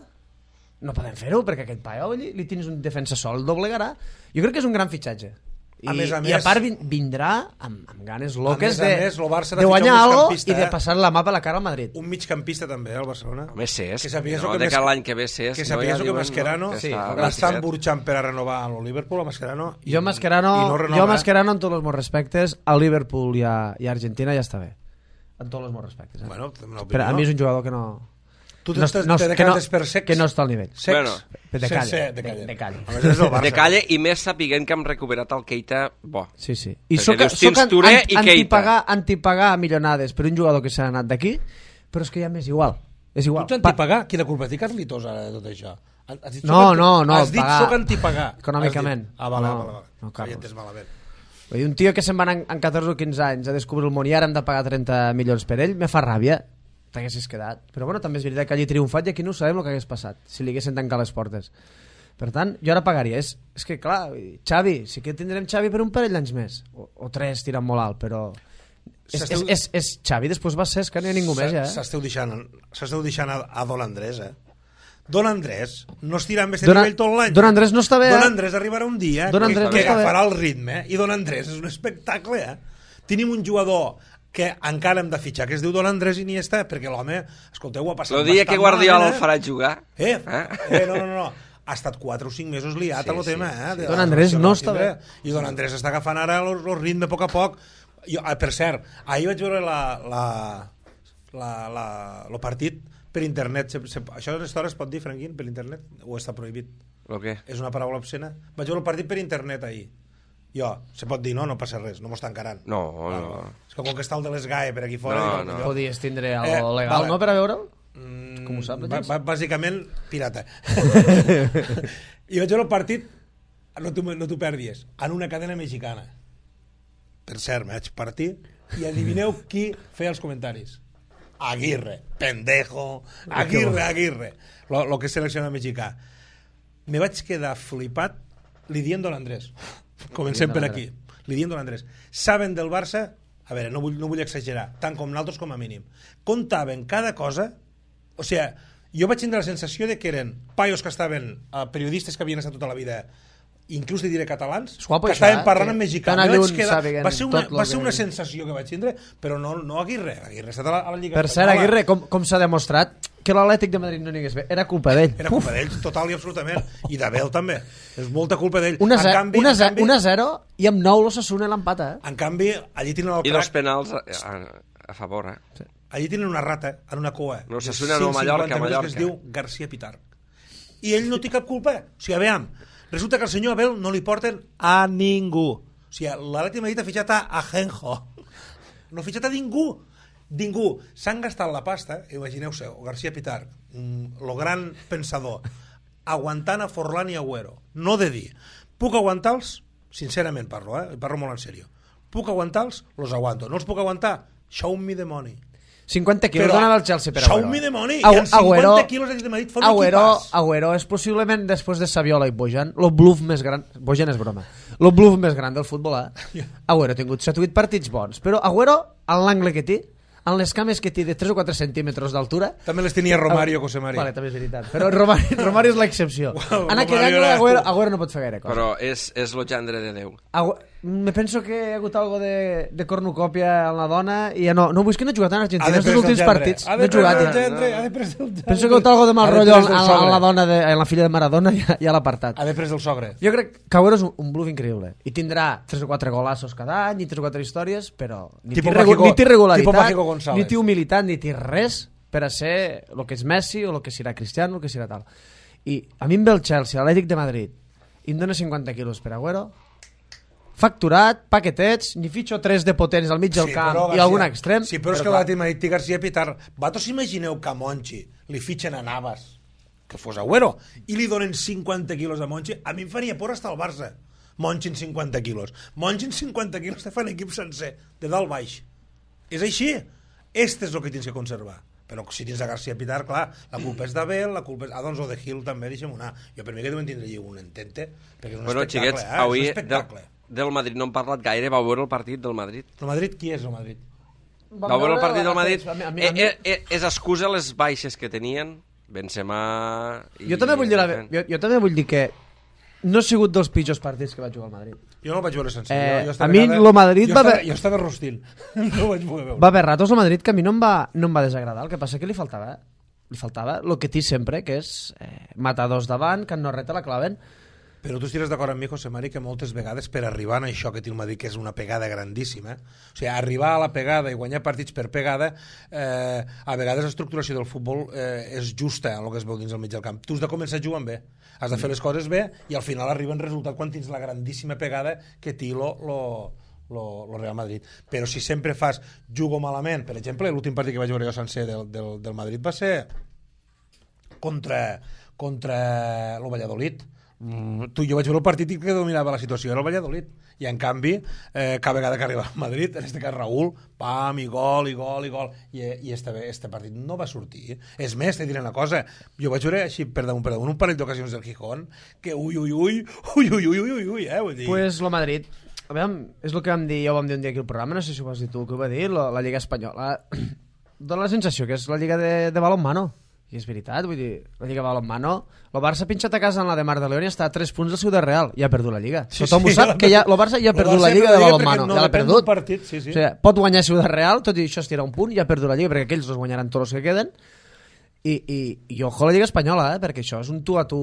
Speaker 2: No podem fer-ho, perquè aquest paio li, li tens un defensa sol, el doblegarà. Jo crec que és un gran fitxatge. I
Speaker 4: A més a
Speaker 2: i
Speaker 4: més-
Speaker 2: a part vin- vindrà amb, amb ganes loques
Speaker 4: més a
Speaker 2: de,
Speaker 4: més, el Barça ha de
Speaker 2: de guanyar
Speaker 4: fitxar un
Speaker 2: algo
Speaker 4: migcampista,
Speaker 2: i de
Speaker 4: eh?
Speaker 2: passar la mà per la cara al Madrid.
Speaker 4: Un migcampista també, eh, al Barcelona.
Speaker 3: Home, Cesc,
Speaker 4: Que sàpigues
Speaker 3: no,
Speaker 4: que
Speaker 3: de
Speaker 4: Mes-
Speaker 3: cara l'any que ve Cesc.
Speaker 4: Que
Speaker 3: no,
Speaker 4: sàpigues
Speaker 3: ja
Speaker 4: que
Speaker 3: diuen,
Speaker 4: Mascherano
Speaker 3: que
Speaker 2: sí,
Speaker 3: està
Speaker 4: l'estan
Speaker 3: gratificat.
Speaker 4: burxant per a renovar a Liverpool, a Mascherano. i-
Speaker 2: Jo Mascherano,
Speaker 4: i no
Speaker 2: jo
Speaker 4: renova, eh?
Speaker 2: Mascherano en tots els meus respectes, a Liverpool i a, i a Argentina ja està bé. en tots els meus respectes. Eh?
Speaker 4: Bueno,
Speaker 2: però a mi és un jugador que no...
Speaker 4: Tu
Speaker 2: no,
Speaker 4: te,
Speaker 2: no,
Speaker 4: te
Speaker 2: que, no,
Speaker 4: per secs?
Speaker 2: que no està al nivell.
Speaker 4: Secs?
Speaker 3: Bueno,
Speaker 2: de calle.
Speaker 4: Se, se,
Speaker 2: de calle. De calle.
Speaker 4: De,
Speaker 3: de calle i més sapiguent que hem recuperat el Keita bo.
Speaker 2: Sí, sí. I
Speaker 3: Perquè
Speaker 2: soc,
Speaker 3: dius,
Speaker 2: soc
Speaker 3: tens Touré i Keita.
Speaker 2: antipagar, antipagar milionades per un jugador que s'ha anat d'aquí, però és que ja m'és igual. És igual.
Speaker 4: Tu ets antipagar? Quina culpa té Carlitos ara de tot això? Has dit,
Speaker 2: no,
Speaker 4: anti...
Speaker 2: no, no.
Speaker 4: Has dit
Speaker 2: pagar...
Speaker 4: soc antipagar.
Speaker 2: Econòmicament.
Speaker 4: Ah, vale,
Speaker 2: no,
Speaker 4: vale, vale.
Speaker 2: No,
Speaker 4: Carlos. Malament.
Speaker 2: Vull dir, un tio que se'n va en, en catorze o quinze anys a descobrir el món i ara hem de pagar trenta milions per ell, me fa ràbia. T'haguessis quedat. Però bueno, també és veritat que allí triomfat i aquí no sabem el que hagués passat si li haguessin tancat les portes. Per tant, jo ara pagaria. És, és que clar, Xavi, sí que tindrem Xavi per un parell d'anys més. O, o tres tirant molt alt, però... És, és, és, és Xavi, després va ser, és que no hi ha ningú més ja. Eh?
Speaker 4: S'esteu deixant, deixant a, a Don Andrés, eh? Don Andrés no estirà amb aquest
Speaker 2: Don,
Speaker 4: nivell tot l'any.
Speaker 2: Don Andrés no està bé.
Speaker 4: Don
Speaker 2: eh?
Speaker 4: Andrés arribarà un dia
Speaker 2: Don
Speaker 4: que,
Speaker 2: Andrés
Speaker 4: que
Speaker 2: no
Speaker 4: agafarà el ritme. Eh? I Don Andrés és un espectacle, eh? Tenim un jugador que encara hem de fitxar, que es diu Don Andrés Iniesta, perquè l'home, escolteu, ho ha passat
Speaker 3: El dia que Guardiola el
Speaker 4: eh?
Speaker 3: farà jugar.
Speaker 4: Eh? eh? eh no, no, no. Ha estat quatre o cinc mesos liat sí, a lo sí, tema, eh?
Speaker 2: Sí. Don Andrés no està bé.
Speaker 4: I Don Andrés està agafant ara el, el ritme a poc a poc. Jo, per cert, ahir vaig veure la, la, la, la, el partit per internet. Se, se, això a les hores es pot dir, Franquín, per internet? O està prohibit?
Speaker 3: El què?
Speaker 4: És una paraula obscena? Vaig veure el partit per internet ahir. Jo, se pot dir, no? No passa res, no m'ho estan encarant.
Speaker 3: No,
Speaker 4: ah,
Speaker 3: no.
Speaker 4: És que com que està el de les G A E per aquí fora...
Speaker 3: No,
Speaker 4: dic,
Speaker 3: no.
Speaker 4: Jo...
Speaker 2: Podies tindre algo
Speaker 4: eh,
Speaker 2: legal,
Speaker 4: vale.
Speaker 2: no, per a veure'l?
Speaker 4: Mm,
Speaker 2: Com ho sap,
Speaker 4: b- b- bàsicament, pirata. I vaig veure el partit, no t'ho no t'ho perdis, en una cadena mexicana. Per cert, me vaig partir i adivineu qui feia els comentaris. Aguirre, pendejo, Aguirre, Aguirre. Lo, lo que és seleccionat mexicà. Me vaig quedar flipat li dient Don Andrés. Comencem per aquí. Li dient Don Andrés. Saben del Barça, a veure, no vull, no vull exagerar, tant com nosaltres com a mínim. Contaven cada cosa, o sigui, jo vaig tindre la sensació de que eren paios que estaven, eh, periodistes que havien estat tota la vida, inclús te diré catalans,
Speaker 2: guapo,
Speaker 4: que
Speaker 2: això,
Speaker 4: estaven
Speaker 2: eh?
Speaker 4: parlant
Speaker 2: Que
Speaker 4: en mexicà.
Speaker 2: tan
Speaker 4: Me vaig
Speaker 2: alluny
Speaker 4: quedar...
Speaker 2: sàpiguen
Speaker 4: Va ser una,
Speaker 2: tot lo
Speaker 4: va ser
Speaker 2: que-
Speaker 4: una sensació que vaig tindre, però no, no Aguirre. Aguirre ha estat a la, a la Lliga
Speaker 2: Per cert,
Speaker 4: Espanyola.
Speaker 2: Aguirre, com, com s'ha demostrat que l'Atlètic de Madrid no anés bé, era culpa d'ell.
Speaker 4: Era culpa d'ell, total i absolutament. I d'Abel també. És molta culpa d'ell.
Speaker 2: Una
Speaker 4: En canvi, en canvi,
Speaker 2: a zero i amb nou l'Osasuna l'empata, eh?
Speaker 4: en canvi, allí tenen el
Speaker 3: I dos
Speaker 4: crac,
Speaker 3: penals a, a, a favor, eh?
Speaker 4: allí tenen una rata en una cua.
Speaker 3: No,
Speaker 4: de
Speaker 3: Osasuna no,
Speaker 4: cent
Speaker 3: Mallorca,
Speaker 4: cinquanta metres,
Speaker 3: Mallorca.
Speaker 4: que es diu García Pitar. I ell no té cap culpa. O sigui, aviam, resulta que al senyor Abel no li porten a ningú. O sigui, l'Atlètic de Madrid ha fitxat a Ajenjo. No ha fitxat a ningú. Ningú. S'han gastat la pasta, imagineu-se, o García Pitar, mm, lo gran pensador, aguantant a Forlán i Agüero. No de dir, puc aguantar-los? Sincerament parlo, eh? Parlo molt en sèrio. Puc aguantar-los? Los aguanto. No els puc aguantar? Show me the money.
Speaker 2: cinquanta quilos
Speaker 4: Però,
Speaker 2: donava el Chelsea per
Speaker 4: show
Speaker 2: Agüero.
Speaker 4: me the money.
Speaker 2: Agu-
Speaker 4: I amb cinquanta
Speaker 2: Agüero-
Speaker 4: quilos de Madrid fa un
Speaker 2: Agüero,
Speaker 4: equipàs.
Speaker 2: Agüero és possiblement, després de Saviola i Bojan, el bluff més gran... Bojan és broma. El bluff més gran del futbol, eh? Agüero ha tingut set o vuit partits bons, però Agüero, en l'angle que té, en les cames que té de tres o quatre centímetres d'altura...
Speaker 4: També les tenia Romario, José María.
Speaker 2: Vale, també és veritat. Però Romario, Romario és l'excepció.
Speaker 4: Wow,
Speaker 2: En aquell
Speaker 4: Romario
Speaker 2: angle,
Speaker 4: era-
Speaker 2: Agüero, Agüero no pot fer gaire cosa.
Speaker 3: Però és, és lo gendre de Déu.
Speaker 2: Agü... Me penso que hi ha hagut algo de, de cornucòpia en la dona i ja no, no, vull que no he jugat en
Speaker 4: Ha
Speaker 2: Argentina
Speaker 4: de
Speaker 2: els
Speaker 4: pres
Speaker 2: últims
Speaker 4: el
Speaker 2: partits,
Speaker 4: gendre.
Speaker 2: no he jugat
Speaker 4: Ha de
Speaker 2: ja.
Speaker 4: pres el gendre, ha de pres el gendre.
Speaker 2: Penso que hi ha hagut algo de mal
Speaker 4: Ha de
Speaker 2: rotllo
Speaker 4: pres
Speaker 2: en,
Speaker 4: el
Speaker 2: en,
Speaker 4: sogre.
Speaker 2: la dona de, en la filla de Maradona i ja, ja l'ha apartat.
Speaker 4: Ha de pres el sogre.
Speaker 2: Jo crec que Agüero és un, un bluff increïble i tindrà tres o quatre golassos cada any i tres o quatre històries, però ni té,
Speaker 4: Tipo
Speaker 2: regu
Speaker 4: Mágico-
Speaker 2: ni té regularitat,
Speaker 4: tipo Mágico González.
Speaker 2: ni té humilitat, ni té res per a ser el que és Messi o el que serà Cristiano, el que serà tal. I a mi em ve el Chelsea, l'Atlètic de Madrid, i em dona cinquanta quilos per Agüero, facturat, paquetets, ni fitxo tres de potents al mig del camp
Speaker 4: però,
Speaker 2: i
Speaker 4: García,
Speaker 2: algun extrem.
Speaker 4: Sí, però és que
Speaker 2: clar,
Speaker 4: l'Atlètic de Madrid té García Pitar. Vosaltres imagineu que a Monchi li fitxen a Navas, que fos Agüero, i li donen cinquanta quilos a Monchi, a mi em faria por estar al Barça. Monchi en cinquanta quilos. Monchi en cinquanta quilos te fan equip sencer, de dalt baix. És així. Este és el que tens que conservar. Però si tens a García Pitar, clar, la culpa és d'Abel, la culpa és... Ah, doncs o de Gil també, deixa'm anar. Jo per mi que deuen tindre un entente, perquè és un
Speaker 3: Bueno,
Speaker 4: espectacle,
Speaker 3: xiquets,
Speaker 4: eh?
Speaker 3: avui
Speaker 4: És un espectacle.
Speaker 3: del, del Madrid no hem parlat gaire. Vau veure el partit del Madrid?
Speaker 4: El Madrid, qui és el Madrid?
Speaker 2: vam
Speaker 3: Vau veure el
Speaker 2: veure
Speaker 3: partit del Madrid?
Speaker 2: a mi- a mi- a mi-
Speaker 3: Eh, eh, eh, és excusa les baixes que tenien Benzema i...
Speaker 2: Jo també vull dir, la, jo, jo també vull dir que no ha sigut dels pitjors partits que va jugar al Madrid.
Speaker 4: Jo no el vaig veure sencer.
Speaker 2: Eh,
Speaker 4: jo, jo
Speaker 2: a
Speaker 4: estava
Speaker 2: mi
Speaker 4: cada-
Speaker 2: lo Madrid
Speaker 4: jo
Speaker 2: va
Speaker 4: estava,
Speaker 2: haver-
Speaker 4: jo estava rostint. No ho vaig poder veure.
Speaker 2: Va haver ratos al Madrid que a mi no em va, no em va desagradar. El que passa que li faltava li faltava el que té sempre, que és eh, matar dos davant, que no reta la claven.
Speaker 4: Però tu estiràs d'acord amb mi, José Mari, que moltes vegades per arribar a això que té el Madrid, que és una pegada grandíssima, o sigui, arribar a la pegada i guanyar partits per pegada, eh, a vegades l'estructuració del futbol eh, és justa en el que es veu dins del mig del camp. Tu has de començar jugant bé, has de fer les coses bé i al final arriba en resultat quan tens la grandíssima pegada que té lo, lo, lo, lo Real Madrid. Però si sempre fas jugo malament, per exemple, l'últim partit que vaig veure jo sencer del, del, del Madrid va ser contra, contra el Valladolid. Mm, tu, jo vaig veure el partit i que dominava la situació era el Valladolid, i en canvi eh, cada vegada que arriba al Madrid, en este cas Raúl, pam, i gol, i gol, i gol i, i este, este partit no va sortir. És més, te diré una cosa, jo vaig veure així per damunt, per damunt un parell d'ocasions del Gijón que ui, ui, ui, ui, ui, ui, ui, ui, eh, vull dir.
Speaker 2: Pues lo Madrid, a veure, és el que vam dir, ja ho vam dir un dia aquí al programa, no sé si ho vas dir tu, que ho va dir, la, la Lliga Espanyola dona la sensació que és la Lliga de, de balonmano. I és veritat, vull dir, la Lliga Balonmano, el Barça ha pinxat a casa en la de Mar de León i està a tres punts del seu de Real, i ha perdut la Lliga.
Speaker 4: Sí,
Speaker 2: Tothom
Speaker 4: sí,
Speaker 2: ho sap, que ja, el Barça ja ha perdut la Lliga de Balonmano,
Speaker 4: no
Speaker 2: ja l'ha perdut.
Speaker 4: Partit, sí, sí.
Speaker 2: O sigui, pot guanyar seu de Real, tot i això es tira un punt, i ja ha perdut la Lliga, perquè aquells dos guanyaran tots els que queden, i, i, i ojo a la Lliga Espanyola, eh, perquè això és un tu a tu...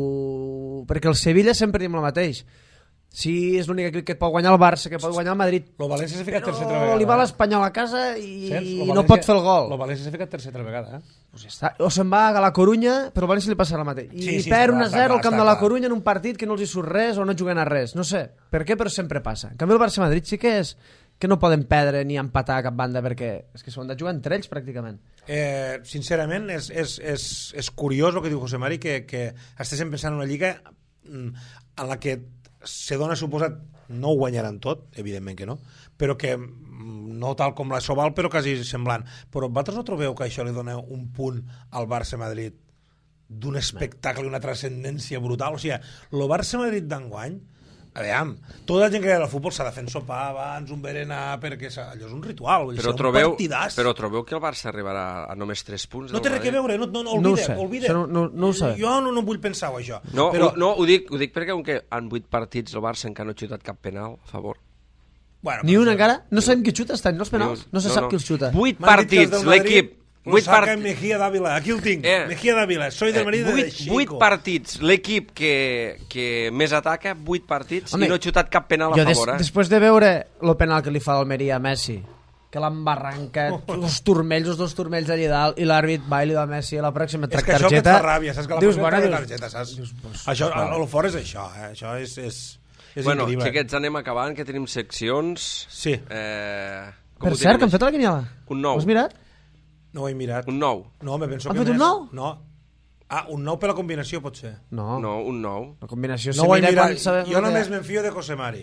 Speaker 2: Perquè el Sevilla sempre diem el mateix. Sí, és l'únic equip que et pot guanyar el Barça, que pot guanyar el Madrid.
Speaker 4: El València s'ha ficat tercer altra
Speaker 2: Però
Speaker 4: vegada.
Speaker 2: li va l'Espanyol a casa i, i no
Speaker 4: València,
Speaker 2: pot fer el gol.
Speaker 4: El València s'ha ficat tercer altra vegada, eh?
Speaker 2: Pues ja està. O se'n va a la Corunya, però al València li passa el mateix. I
Speaker 4: Sí, sí,
Speaker 2: perd
Speaker 4: està
Speaker 2: un a
Speaker 4: clar,
Speaker 2: zero al
Speaker 4: està
Speaker 2: camp
Speaker 4: clar,
Speaker 2: de la
Speaker 4: està
Speaker 2: Corunya en un partit que no els hi surt res o no juguen a res. No sé per què, però sempre passa. En canvi el Barça-Madrid sí que és que no poden perdre ni empatar a cap banda perquè és que s'ho han de jugar entre ells pràcticament.
Speaker 4: Eh, sincerament, és, és, és, és curiós el que diu José Mari, que, que estéssim pensant en una lliga en la que se dona suposat no ho guanyaran tot, evidentment que no, però que no tal com la Sobal, però quasi semblant. Però vosaltres no trobeu que això li dona un punt al Barça-Madrid d'un espectacle i una transcendència brutal? O sigui, el Barça-Madrid d'enguany, a veure, tota la gent que ve al futbol s'ha de fer sopar abans, un berenar, perquè allò és un ritual, vull dir,
Speaker 3: Però
Speaker 4: un
Speaker 3: trobeu,
Speaker 4: partidàs.
Speaker 3: però trobeu que el Barça arribarà a només tres punts?
Speaker 4: No té res a veure, no, no, no,
Speaker 2: No ho
Speaker 4: oblida,
Speaker 2: sé,
Speaker 4: oblida.
Speaker 2: això no- no- no ho sé.
Speaker 4: Jo no, no vull pensar-ho, això.
Speaker 3: No,
Speaker 4: però,
Speaker 3: no ho, dic, ho dic perquè com que en vuit partits el Barça encara no ha xutat cap penal a favor.
Speaker 4: bueno,
Speaker 2: Ni
Speaker 4: però
Speaker 2: un
Speaker 4: això-
Speaker 2: encara? No sabem qui xuta estan, no els penals? No se sap qui els xuta.
Speaker 3: Vuit
Speaker 4: M'han dit que els
Speaker 3: partits,
Speaker 4: del Madrid
Speaker 3: l'equip...
Speaker 4: Lo
Speaker 3: Vuit
Speaker 4: saca
Speaker 3: partits...
Speaker 4: Mejía Dávila, aquí el tinc,
Speaker 3: Eh,
Speaker 4: Mejía Dávila, soy del Madrid
Speaker 3: Eh, vuit,
Speaker 4: de Chico.
Speaker 3: vuit partits, l'equip que, que més ataca, vuit partits,
Speaker 2: Home,
Speaker 3: i no ha xutat cap penal a
Speaker 2: Jo des,
Speaker 3: favor, eh?
Speaker 2: després de veure el penal que li fa l'Almeria a Messi, que l'embarranca, els turmells, els dos turmells allà dalt, i l'àrbit va i li va a Messi a la pròxima
Speaker 4: És que això que et
Speaker 2: targeta.
Speaker 4: fa ràbia, saps que la
Speaker 2: dius,
Speaker 4: pròxima
Speaker 2: bueno,
Speaker 4: targeta, saps?
Speaker 2: dius, pues,
Speaker 4: això,
Speaker 2: vale.
Speaker 4: a lo fort és això, eh? Això és, és, és
Speaker 3: Bueno,
Speaker 4: increïble.
Speaker 3: xiquets, anem acabant, que tenim seccions.
Speaker 4: Sí.
Speaker 3: Eh, com
Speaker 2: Per
Speaker 3: ho
Speaker 2: cert, que
Speaker 3: tenim
Speaker 2: han fet la quiniela.
Speaker 3: Un nou.
Speaker 2: Ho has mirat?
Speaker 4: No ho he mirat.
Speaker 3: Un nou.
Speaker 4: No, me penso
Speaker 2: Han
Speaker 4: que
Speaker 2: fet un
Speaker 4: més...
Speaker 2: nou?
Speaker 4: No. Ah, un nou per la combinació, pot ser.
Speaker 2: No.
Speaker 3: No, un nou.
Speaker 2: La combinació
Speaker 4: No
Speaker 2: se
Speaker 4: ho he
Speaker 2: mira
Speaker 4: mirat.
Speaker 2: quan sabem...
Speaker 4: Jo
Speaker 2: el que-
Speaker 4: només m'enfio de José Mari.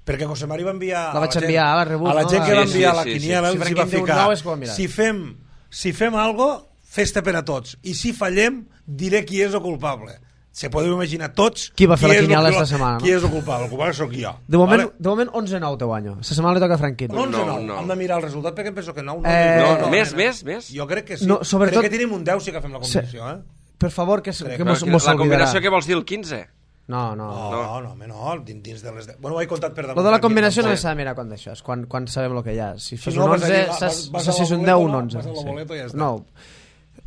Speaker 4: Perquè José Mari va enviar...
Speaker 2: La
Speaker 4: a
Speaker 2: vaig
Speaker 4: gent-
Speaker 2: enviar, la rebut,
Speaker 4: A la
Speaker 2: no?
Speaker 4: gent que
Speaker 2: Sí,
Speaker 4: va
Speaker 3: sí,
Speaker 4: enviar
Speaker 3: sí,
Speaker 4: la
Speaker 3: sí,
Speaker 4: quiniela
Speaker 2: sí.
Speaker 4: els
Speaker 2: Si
Speaker 4: hi va
Speaker 2: Franquín diu un
Speaker 4: ficar...
Speaker 2: nou és que ho ha mirat.
Speaker 4: Si fem, si fem algo, festa per a tots. I si fallem, diré qui és el culpable. Se podeu imaginar tots
Speaker 2: Qui va fer la
Speaker 4: és el
Speaker 2: quiniela
Speaker 4: que-
Speaker 2: esta setmana, no?
Speaker 4: Qui és el culpable? El culpable sóc jo.
Speaker 2: De moment,
Speaker 4: Vale?
Speaker 2: de moment onze nou té guanyo. Esta setmana li toca a Franquín.
Speaker 4: Un onze
Speaker 3: nou,
Speaker 4: nou.
Speaker 3: nou.
Speaker 4: Hem de mirar el resultat perquè em penso que nou. No,
Speaker 2: Eh,
Speaker 3: No,
Speaker 2: no,
Speaker 3: no, més,
Speaker 4: no.
Speaker 3: més, més.
Speaker 4: Jo crec que sí.
Speaker 2: No, sobretot-
Speaker 4: Crec que tenim un deu si agafem la combinació, eh?
Speaker 2: Per favor, que,
Speaker 4: Crec
Speaker 2: que
Speaker 4: que
Speaker 2: mos,
Speaker 3: Però
Speaker 2: mos
Speaker 3: la
Speaker 2: oblidarà.
Speaker 3: combinació que vols dir, el quinze?
Speaker 2: No, no.
Speaker 4: No, no, no, home, no, dins, dins de les... deu. Bueno, ho he contat per damunt.
Speaker 2: Lo de la
Speaker 4: aquí,
Speaker 2: combinació no
Speaker 4: tampoc.
Speaker 2: s'ha de mirar quan d'això, és quan, quan sabem el que hi ha. Si
Speaker 4: Si
Speaker 2: fas
Speaker 4: no,
Speaker 2: un
Speaker 4: vas
Speaker 2: onze,
Speaker 4: allà, vas-
Speaker 2: saps
Speaker 4: vas
Speaker 2: saps
Speaker 4: a
Speaker 2: si és un
Speaker 4: la
Speaker 2: deu o un
Speaker 4: boleta,
Speaker 2: onze.
Speaker 4: vas a la
Speaker 2: sí.
Speaker 4: boleta i ja està.
Speaker 2: No.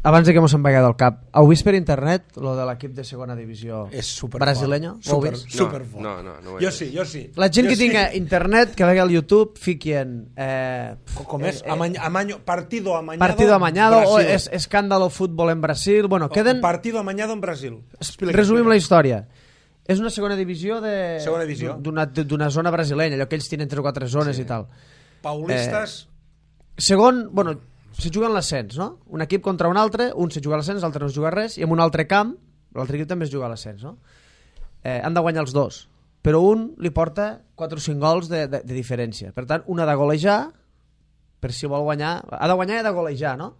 Speaker 2: Abans de que mos en vagi del cap, heu vist per internet lo de l'equip de segona divisió
Speaker 4: És super
Speaker 2: brasileño? Ho heu
Speaker 4: Super,
Speaker 2: vist?
Speaker 4: super
Speaker 3: No,
Speaker 4: fort.
Speaker 3: no, no, no ho he
Speaker 4: jo
Speaker 3: vist.
Speaker 4: sí, jo sí.
Speaker 2: La gent
Speaker 4: jo
Speaker 2: que
Speaker 4: sí.
Speaker 2: tinga internet, que vegi al YouTube, fiquien... Eh,
Speaker 4: Com és?
Speaker 2: eh, eh,
Speaker 4: Amañ, amaño, partido amañado.
Speaker 2: partido amañado o
Speaker 4: Brasil.
Speaker 2: es, escándalo fútbol en Brasil. Bueno, queden...
Speaker 4: Partido amañado en Brasil. Explica,
Speaker 2: Resumim la
Speaker 4: explica.
Speaker 2: història. És una segona divisió de...
Speaker 4: Segona divisió.
Speaker 2: D'una d'una zona brasilenya, allò que ells tenen tres o quatre zones
Speaker 4: Sí.
Speaker 2: i tal.
Speaker 4: Paulistes...
Speaker 2: Segon, bueno, se juga en l'ascens, no? Un equip contra un altre, un se juga a l'ascens, l'altre no es juga res, i en un altre camp, l'altre equip també es juga a l'ascens, no? Eh, han de guanyar els dos, però un li porta quatre o cinc gols de, de, de diferència. Per tant, un ha de golejar, per si vol guanyar... Ha de guanyar i ha de golejar, no?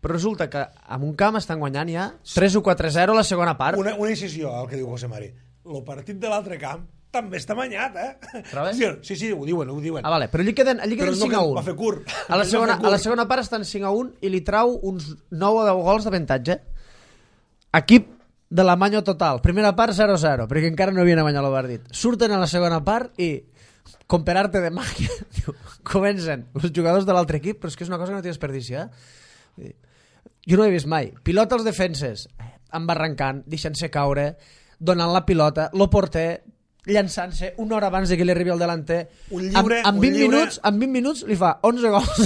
Speaker 2: Però resulta que en un camp estan guanyant ja tres o quatre zero a la segona part.
Speaker 4: Una, una incisió al que diu José Mari. El partit de l'altre camp també està manyat, eh?
Speaker 2: Trobes?
Speaker 4: Sí, sí, sí, ho diuen, ho diuen.
Speaker 2: Ah, vale, però allí queden, allí queden
Speaker 4: Però no
Speaker 2: cinc a
Speaker 4: que
Speaker 2: un.
Speaker 4: va fer curt.
Speaker 2: A la,
Speaker 4: No
Speaker 2: segona,
Speaker 4: fa curt.
Speaker 2: a la segona part estan cinc a un i li trau uns nou o deu gols d'avantatge. Equip de la manyo total. Primera part zero a zero, perquè encara no havien guanyat el partit. Surten a la segona part i, com per arte de màgia, diu, comencen els jugadors de l'altre equip, però és que és una cosa que no té desperdici, eh? Jo no ho he vist mai. Pilota als defenses, embarrancant, deixant-se caure, donant la pilota, lo porter llançant-se una hora abans de que li arribi el delanter.
Speaker 4: Un lliure,
Speaker 2: amb, amb, vint
Speaker 4: un lliure...
Speaker 2: minuts, amb vint minuts li fa onze gols.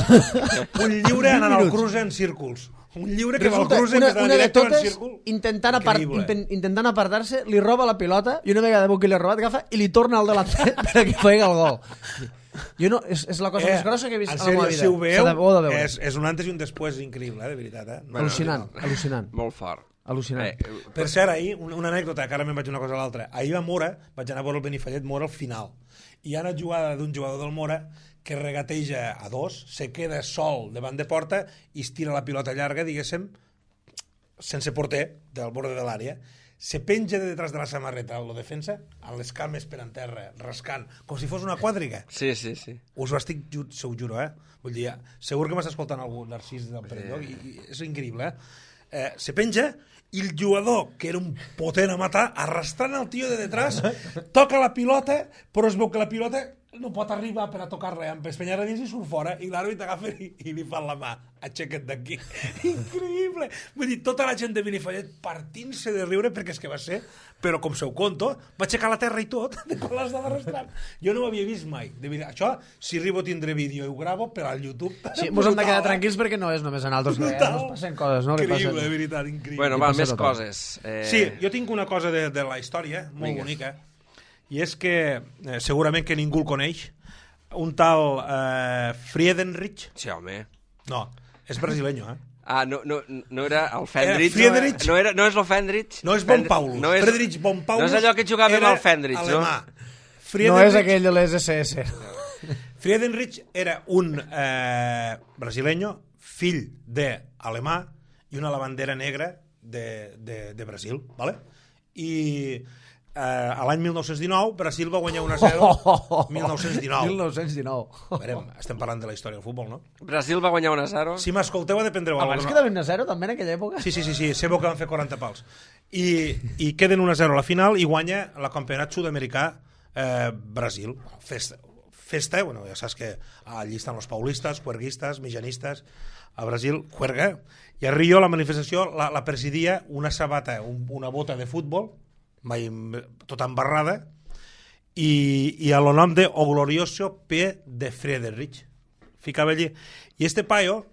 Speaker 4: Un lliure anant al cruce en círculs. Un lliure que va al
Speaker 2: Resulta,
Speaker 4: cruce
Speaker 2: una,
Speaker 4: en
Speaker 2: una de
Speaker 4: directe en
Speaker 2: totes,
Speaker 4: círcul.
Speaker 2: intentant, apart,
Speaker 4: Increïble.
Speaker 2: inten, intentant apartar-se, li roba la pilota i una vegada que li ha robat, agafa i li torna al delanter perquè fegui el gol. Jo no, és, és la cosa eh, més grossa que he vist
Speaker 4: en
Speaker 2: a la meva
Speaker 4: sèrio,
Speaker 2: vida.
Speaker 4: si ho veieu,
Speaker 2: de, de veure.
Speaker 4: és, és un antes i un després increïble, eh, de veritat. Eh? No,
Speaker 2: Al·lucinant,
Speaker 4: no, no.
Speaker 2: al·lucinant.
Speaker 3: Molt fort.
Speaker 2: Al·lucinant.
Speaker 3: Eh,
Speaker 4: Per cert, ahir, una, una anècdota, que ara me'n vaig una cosa a l'altra. Ahir a Mora, vaig anar a veure el Benifallet Mora al final. I hi ha una jugada d'un jugador del Mora que regateja a dos, se queda sol davant de porta i es tira la pilota llarga, diguéssim, sense porter, del borde de l'àrea. Se penja de detrás de la samarreta el defensa, amb les cames per en terra, rascant, com si fos una quàdriga.
Speaker 3: Sí, sí, sí.
Speaker 4: Us ho estic, ju- se ho juro, eh? Vull dir, segur que m'està escoltant algú, Narcís del Perelló, i, i és increïble, eh? eh? Se penja i el jugador, que era un potent a matar, arrastrant el tio de detrás, toca la pilota, però es veu que la pilota no pot arribar per a tocar-la, amb espenyar a dins i surt fora, i l'àrbit agafa i, i li fa la mà, aixeca't d'aquí. Increïble! Vull dir, tota la gent de Benifallet partint-se de riure, perquè és que va ser, però com se ho conto, va aixecar la terra i tot, de quan l'estava arrastrant. Jo no ho havia vist mai. De veritat. Això, si arribo a tindre vídeo i ho gravo per al YouTube...
Speaker 2: Sí, mos hem de quedar tranquils perquè no és només en altres, que
Speaker 4: Brutal.
Speaker 2: ens passen coses, no? Li
Speaker 4: Increïble,
Speaker 2: passen...
Speaker 4: de veritat, increïble.
Speaker 3: Bueno,
Speaker 2: Li
Speaker 3: va,
Speaker 2: passa
Speaker 3: més
Speaker 2: tothom.
Speaker 3: coses. Eh...
Speaker 4: Sí, jo tinc una cosa de, de la història, molt
Speaker 3: Vinga.
Speaker 4: bonica, i és que, eh, segurament que ningú el coneix, un tal eh, Friedenrich,
Speaker 3: Sí, home.
Speaker 4: no, és brasileño, eh?
Speaker 3: Ah, no, no, no era el Fendrich?
Speaker 4: Eh, Friedrich.
Speaker 3: No, era, no és el Fendrich?
Speaker 4: No és
Speaker 3: Fend-
Speaker 4: Bonpaulus,
Speaker 3: no és,
Speaker 4: Friedrich Bonpaulus
Speaker 3: No és allò que jugava amb
Speaker 4: era
Speaker 3: el Fendrich,
Speaker 4: alemà.
Speaker 3: no?
Speaker 2: No
Speaker 4: Friedenrich,
Speaker 2: és aquell de les S S.
Speaker 4: Friedenrich era un eh, brasileño, fill d'alemà i una lavandera negra de, de, de Brasil, ¿vale? I eh, a l'any mil nou-cents dinou Brasil va guanyar un a zero. mil nou-cents dinou.
Speaker 2: mil nou-cents dinou.
Speaker 4: Verem, estem parlant de la història del futbol, no?
Speaker 3: Brasil va guanyar un a zero.
Speaker 4: Si m'escolteu, ha de prendre
Speaker 2: Abans
Speaker 4: alguna...
Speaker 2: quedava un a zero també en aquella època?
Speaker 4: Sí, sí, sí, sí, sé que van fer quaranta pals. I, i queden un a zero a la final i guanya el campionat sud-americà eh, Brasil. Festa, festa, bueno, ja saps que allí estan els paulistes, cuerguistes, mijanistes, a Brasil, juerga, i a Rio la manifestació la, la presidia una sabata, un, una bota de futbol, mai, tota embarrada, i, i a lo nom de O Glorioso P de Friedrich. Ficava allí. I este paio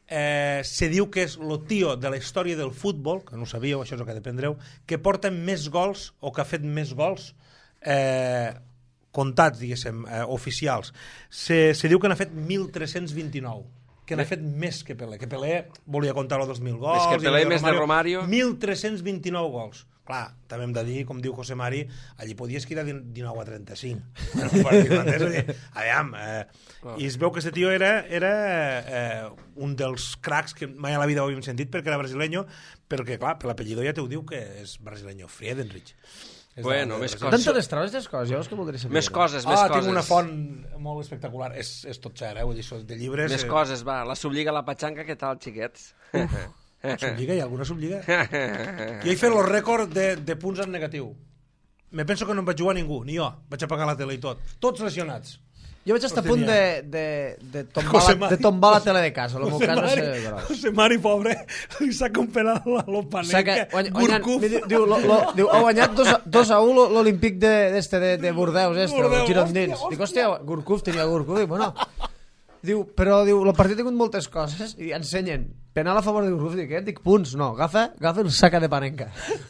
Speaker 4: eh, se diu que és el tio de la història del futbol, que no ho sabíeu, això és el que dependreu, que porta més gols, o que ha fet més gols, eh, comptats, diguéssim, eh, oficials. Se, se diu que n'ha fet mil tres-cents vint-i-nou, que n'ha fet més que Pelé, que Pelé volia comptar els dos mil gols...
Speaker 3: Més que Pelé,
Speaker 4: i
Speaker 3: més de Romario.
Speaker 4: mil tres-cents vint-i-nou gols. Clar, també hem de dir, com diu José Mari, allí podies quedar dinou a trenta-cinc. Aviam, eh, i es veu que aquest tio era, era eh, un dels cracs que mai a la vida ho havíem sentit perquè era brasileño, perquè, clar, per l'apellido ja t'ho diu que és brasileño, Friedenrich. És
Speaker 3: Bueno,
Speaker 4: de- de
Speaker 3: més
Speaker 4: Brasil.
Speaker 3: coses.
Speaker 2: D'on te les trobes, aquestes coses? Jo és que voldria saber.
Speaker 3: Més coses, més
Speaker 4: Ah,
Speaker 3: coses.
Speaker 4: tinc una font molt espectacular. És, és tot cert, eh? Vull dir, això de llibres...
Speaker 3: Més
Speaker 4: eh,
Speaker 3: coses, va. La sublliga, la patxanca, què tal, xiquets?
Speaker 4: Sublliga? Hi ha alguna sublliga? Jo he fet el rècord de, de punts en negatiu. Me penso que no em vaig jugar ningú, ni jo. Vaig apagar la tele i tot. Tots lesionats.
Speaker 2: Jo vaig estar a punt de, de, de, tombar
Speaker 4: José
Speaker 2: la,
Speaker 4: Mari.
Speaker 2: de tombar la tele de casa. El meu
Speaker 4: José
Speaker 2: cas va
Speaker 4: Mari,
Speaker 2: ser gros.
Speaker 4: José Mari, pobre, li saca un penal a
Speaker 2: Saca,
Speaker 4: l'Opanenca.
Speaker 2: guany, guanyant,
Speaker 4: Gurkuf.
Speaker 2: diu, diu, lo, lo, diu, ha guanyat dos a un l'Olímpic de, d'este, de, de Bordeus, este,
Speaker 4: Bordeus,
Speaker 2: el girondins.
Speaker 4: hòstia, hòstia.
Speaker 2: Dic, hòstia, Gurkuf tenia Gurkuf. Dic, bueno, diu, però diu, el partit ha tingut moltes coses i ensenyen penal a favor de Gurkuf. Dic, eh? Dic, punts, no, agafa, agafa el saca de Panenca.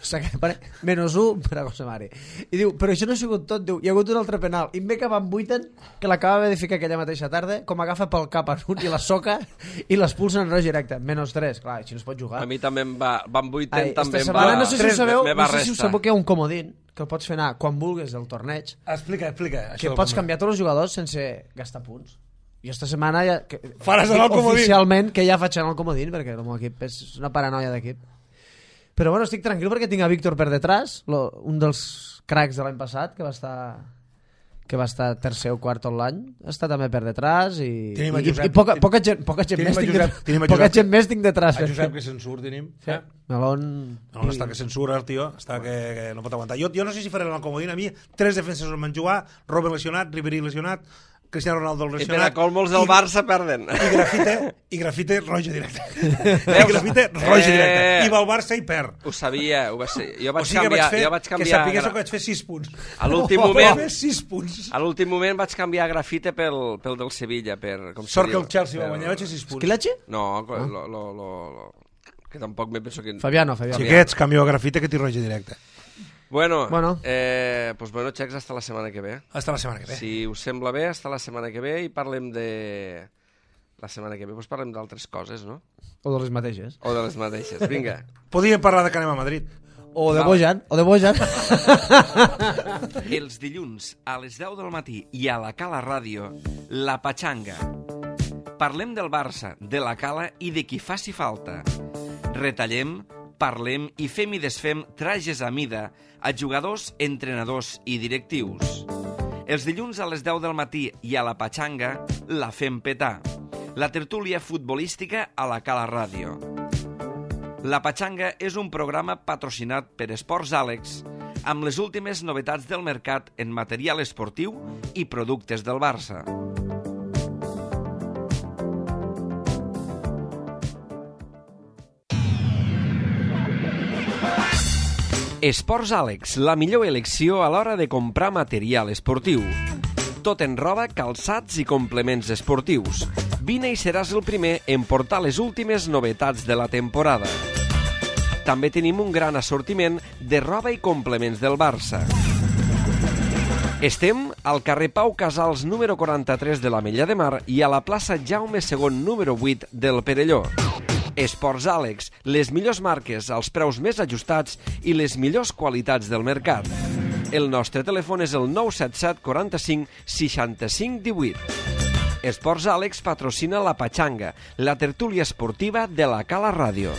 Speaker 2: Saca de Panenca, menys un per a José Mari. I diu, però això no ha sigut tot, diu, hi ha hagut un altre penal. I em ve que van vuiten, que l'acaba de ficar aquella mateixa tarda, com agafa pel cap en un i la soca i l'expulsen en roig directe. Menys tres, clar, així no es pot jugar.
Speaker 3: A mi també em va... Van vuiten,
Speaker 2: Ai,
Speaker 3: també
Speaker 2: esta
Speaker 3: em
Speaker 2: setmana
Speaker 3: va...
Speaker 2: no sé si ho sabeu,
Speaker 3: me
Speaker 2: no
Speaker 3: va
Speaker 2: sé si ho
Speaker 3: restar.
Speaker 2: sabeu que hi ha un comodín que el pots fer anar quan vulguis del torneig,
Speaker 4: Explica, explica.
Speaker 2: que
Speaker 4: això
Speaker 2: pots
Speaker 4: com-
Speaker 2: canviar tots els jugadors sense gastar punts. I esta setmana ja, que,
Speaker 4: Faràs anar al comodín.
Speaker 2: oficialment que ja faig anar al comodín perquè el meu equip és una paranoia d'equip. Però bueno, estic tranquil perquè tinc a Víctor per detrás, lo, un dels cracs de l'any passat que va estar que va estar tercer o quart tot l'any, està també per detrás i,
Speaker 4: Tenim a
Speaker 2: i,
Speaker 4: Josep.
Speaker 2: i poca, poca gent, poca gent
Speaker 4: Tenim
Speaker 2: més
Speaker 4: a
Speaker 2: tinc,
Speaker 4: Josep, tenim a
Speaker 2: de, poca
Speaker 4: Josep.
Speaker 2: gent més tinc detrás.
Speaker 4: A Josep, que se'n surt, tenim.
Speaker 2: Sí.
Speaker 4: Eh?
Speaker 2: Melón...
Speaker 4: No, no està que censura el tio, està que, que no pot aguantar. Jo, jo no sé si faré el comodín, a mi tres defenses on van jugar, Robben lesionat, Ribéry lesionat, Cristiano Ronaldo
Speaker 3: I per a
Speaker 4: lesionat.
Speaker 3: colmos del Barça perden.
Speaker 4: I grafite, i grafite roja directe. I grafite roja
Speaker 3: Eh.
Speaker 4: directe. I va al Barça i perd.
Speaker 3: Ho sabia, ho va ser. Jo
Speaker 4: O
Speaker 3: vaig
Speaker 4: sigui que
Speaker 3: canviar...
Speaker 4: vaig fer,
Speaker 3: jo vaig
Speaker 4: que
Speaker 3: canviar
Speaker 4: sapigués
Speaker 3: gra-
Speaker 4: que vaig fer sis punts.
Speaker 3: A l'últim
Speaker 4: Vaig
Speaker 3: moment...
Speaker 4: fer sis punts.
Speaker 3: A l'últim moment vaig canviar grafite pel, pel del Sevilla. Per, com se
Speaker 4: Sort que
Speaker 3: diu?
Speaker 4: el Chelsea va
Speaker 3: Per-
Speaker 4: guanyar, vaig fer sis punts.
Speaker 2: Esquilache?
Speaker 3: No, lo, lo, lo, lo, que tampoc me penso que...
Speaker 2: Fabiano, Fabiano.
Speaker 4: Xiquets, canvio a grafite que t'hi roja directe.
Speaker 3: Bueno,
Speaker 2: Bueno.
Speaker 3: Eh, pues bueno, xecs, hasta la setmana que ve.
Speaker 4: Hasta la setmana que ve.
Speaker 3: Si us sembla bé, hasta la setmana que ve i parlem de... La setmana que ve pues parlem d'altres coses, no?
Speaker 2: O de les mateixes.
Speaker 3: O de les mateixes. Vinga.
Speaker 4: Podríem parlar de que anem a Madrid.
Speaker 2: O de
Speaker 3: Val.
Speaker 2: Bojan, o de Bojan.
Speaker 1: Els dilluns a les deu del matí i a la Cala Ràdio, La Patxanga. Parlem del Barça, de la Cala i de qui faci falta. Retallem, parlem i fem i desfem trajes a mida a jugadors, entrenadors i directius. Els dilluns a les deu del matí i a la Patxanga la fem petar. La tertúlia futbolística a la Cala Ràdio. La Patxanga és un programa patrocinat per Esports Àlex amb les últimes novetats del mercat en material esportiu i productes del Barça. Esports Àlex, la millor elecció a l'hora de comprar material esportiu. Tot en roba, calçats i complements esportius. Vine i seràs el primer en portar les últimes novetats de la temporada. També tenim un gran assortiment de roba i complements del Barça. Estem al carrer Pau Casals número quaranta-tres de l'Ametlla de Mar i a la plaça Jaume segon número vuit del Perelló. Esports Àlex, les millors marques als preus més ajustats i les millors qualitats del mercat. El nostre telèfon és el nou set set quaranta-cinc seixanta-cinc divuit. Esports Àlex patrocina la Patxanga, la tertúlia esportiva de la Cala Ràdio.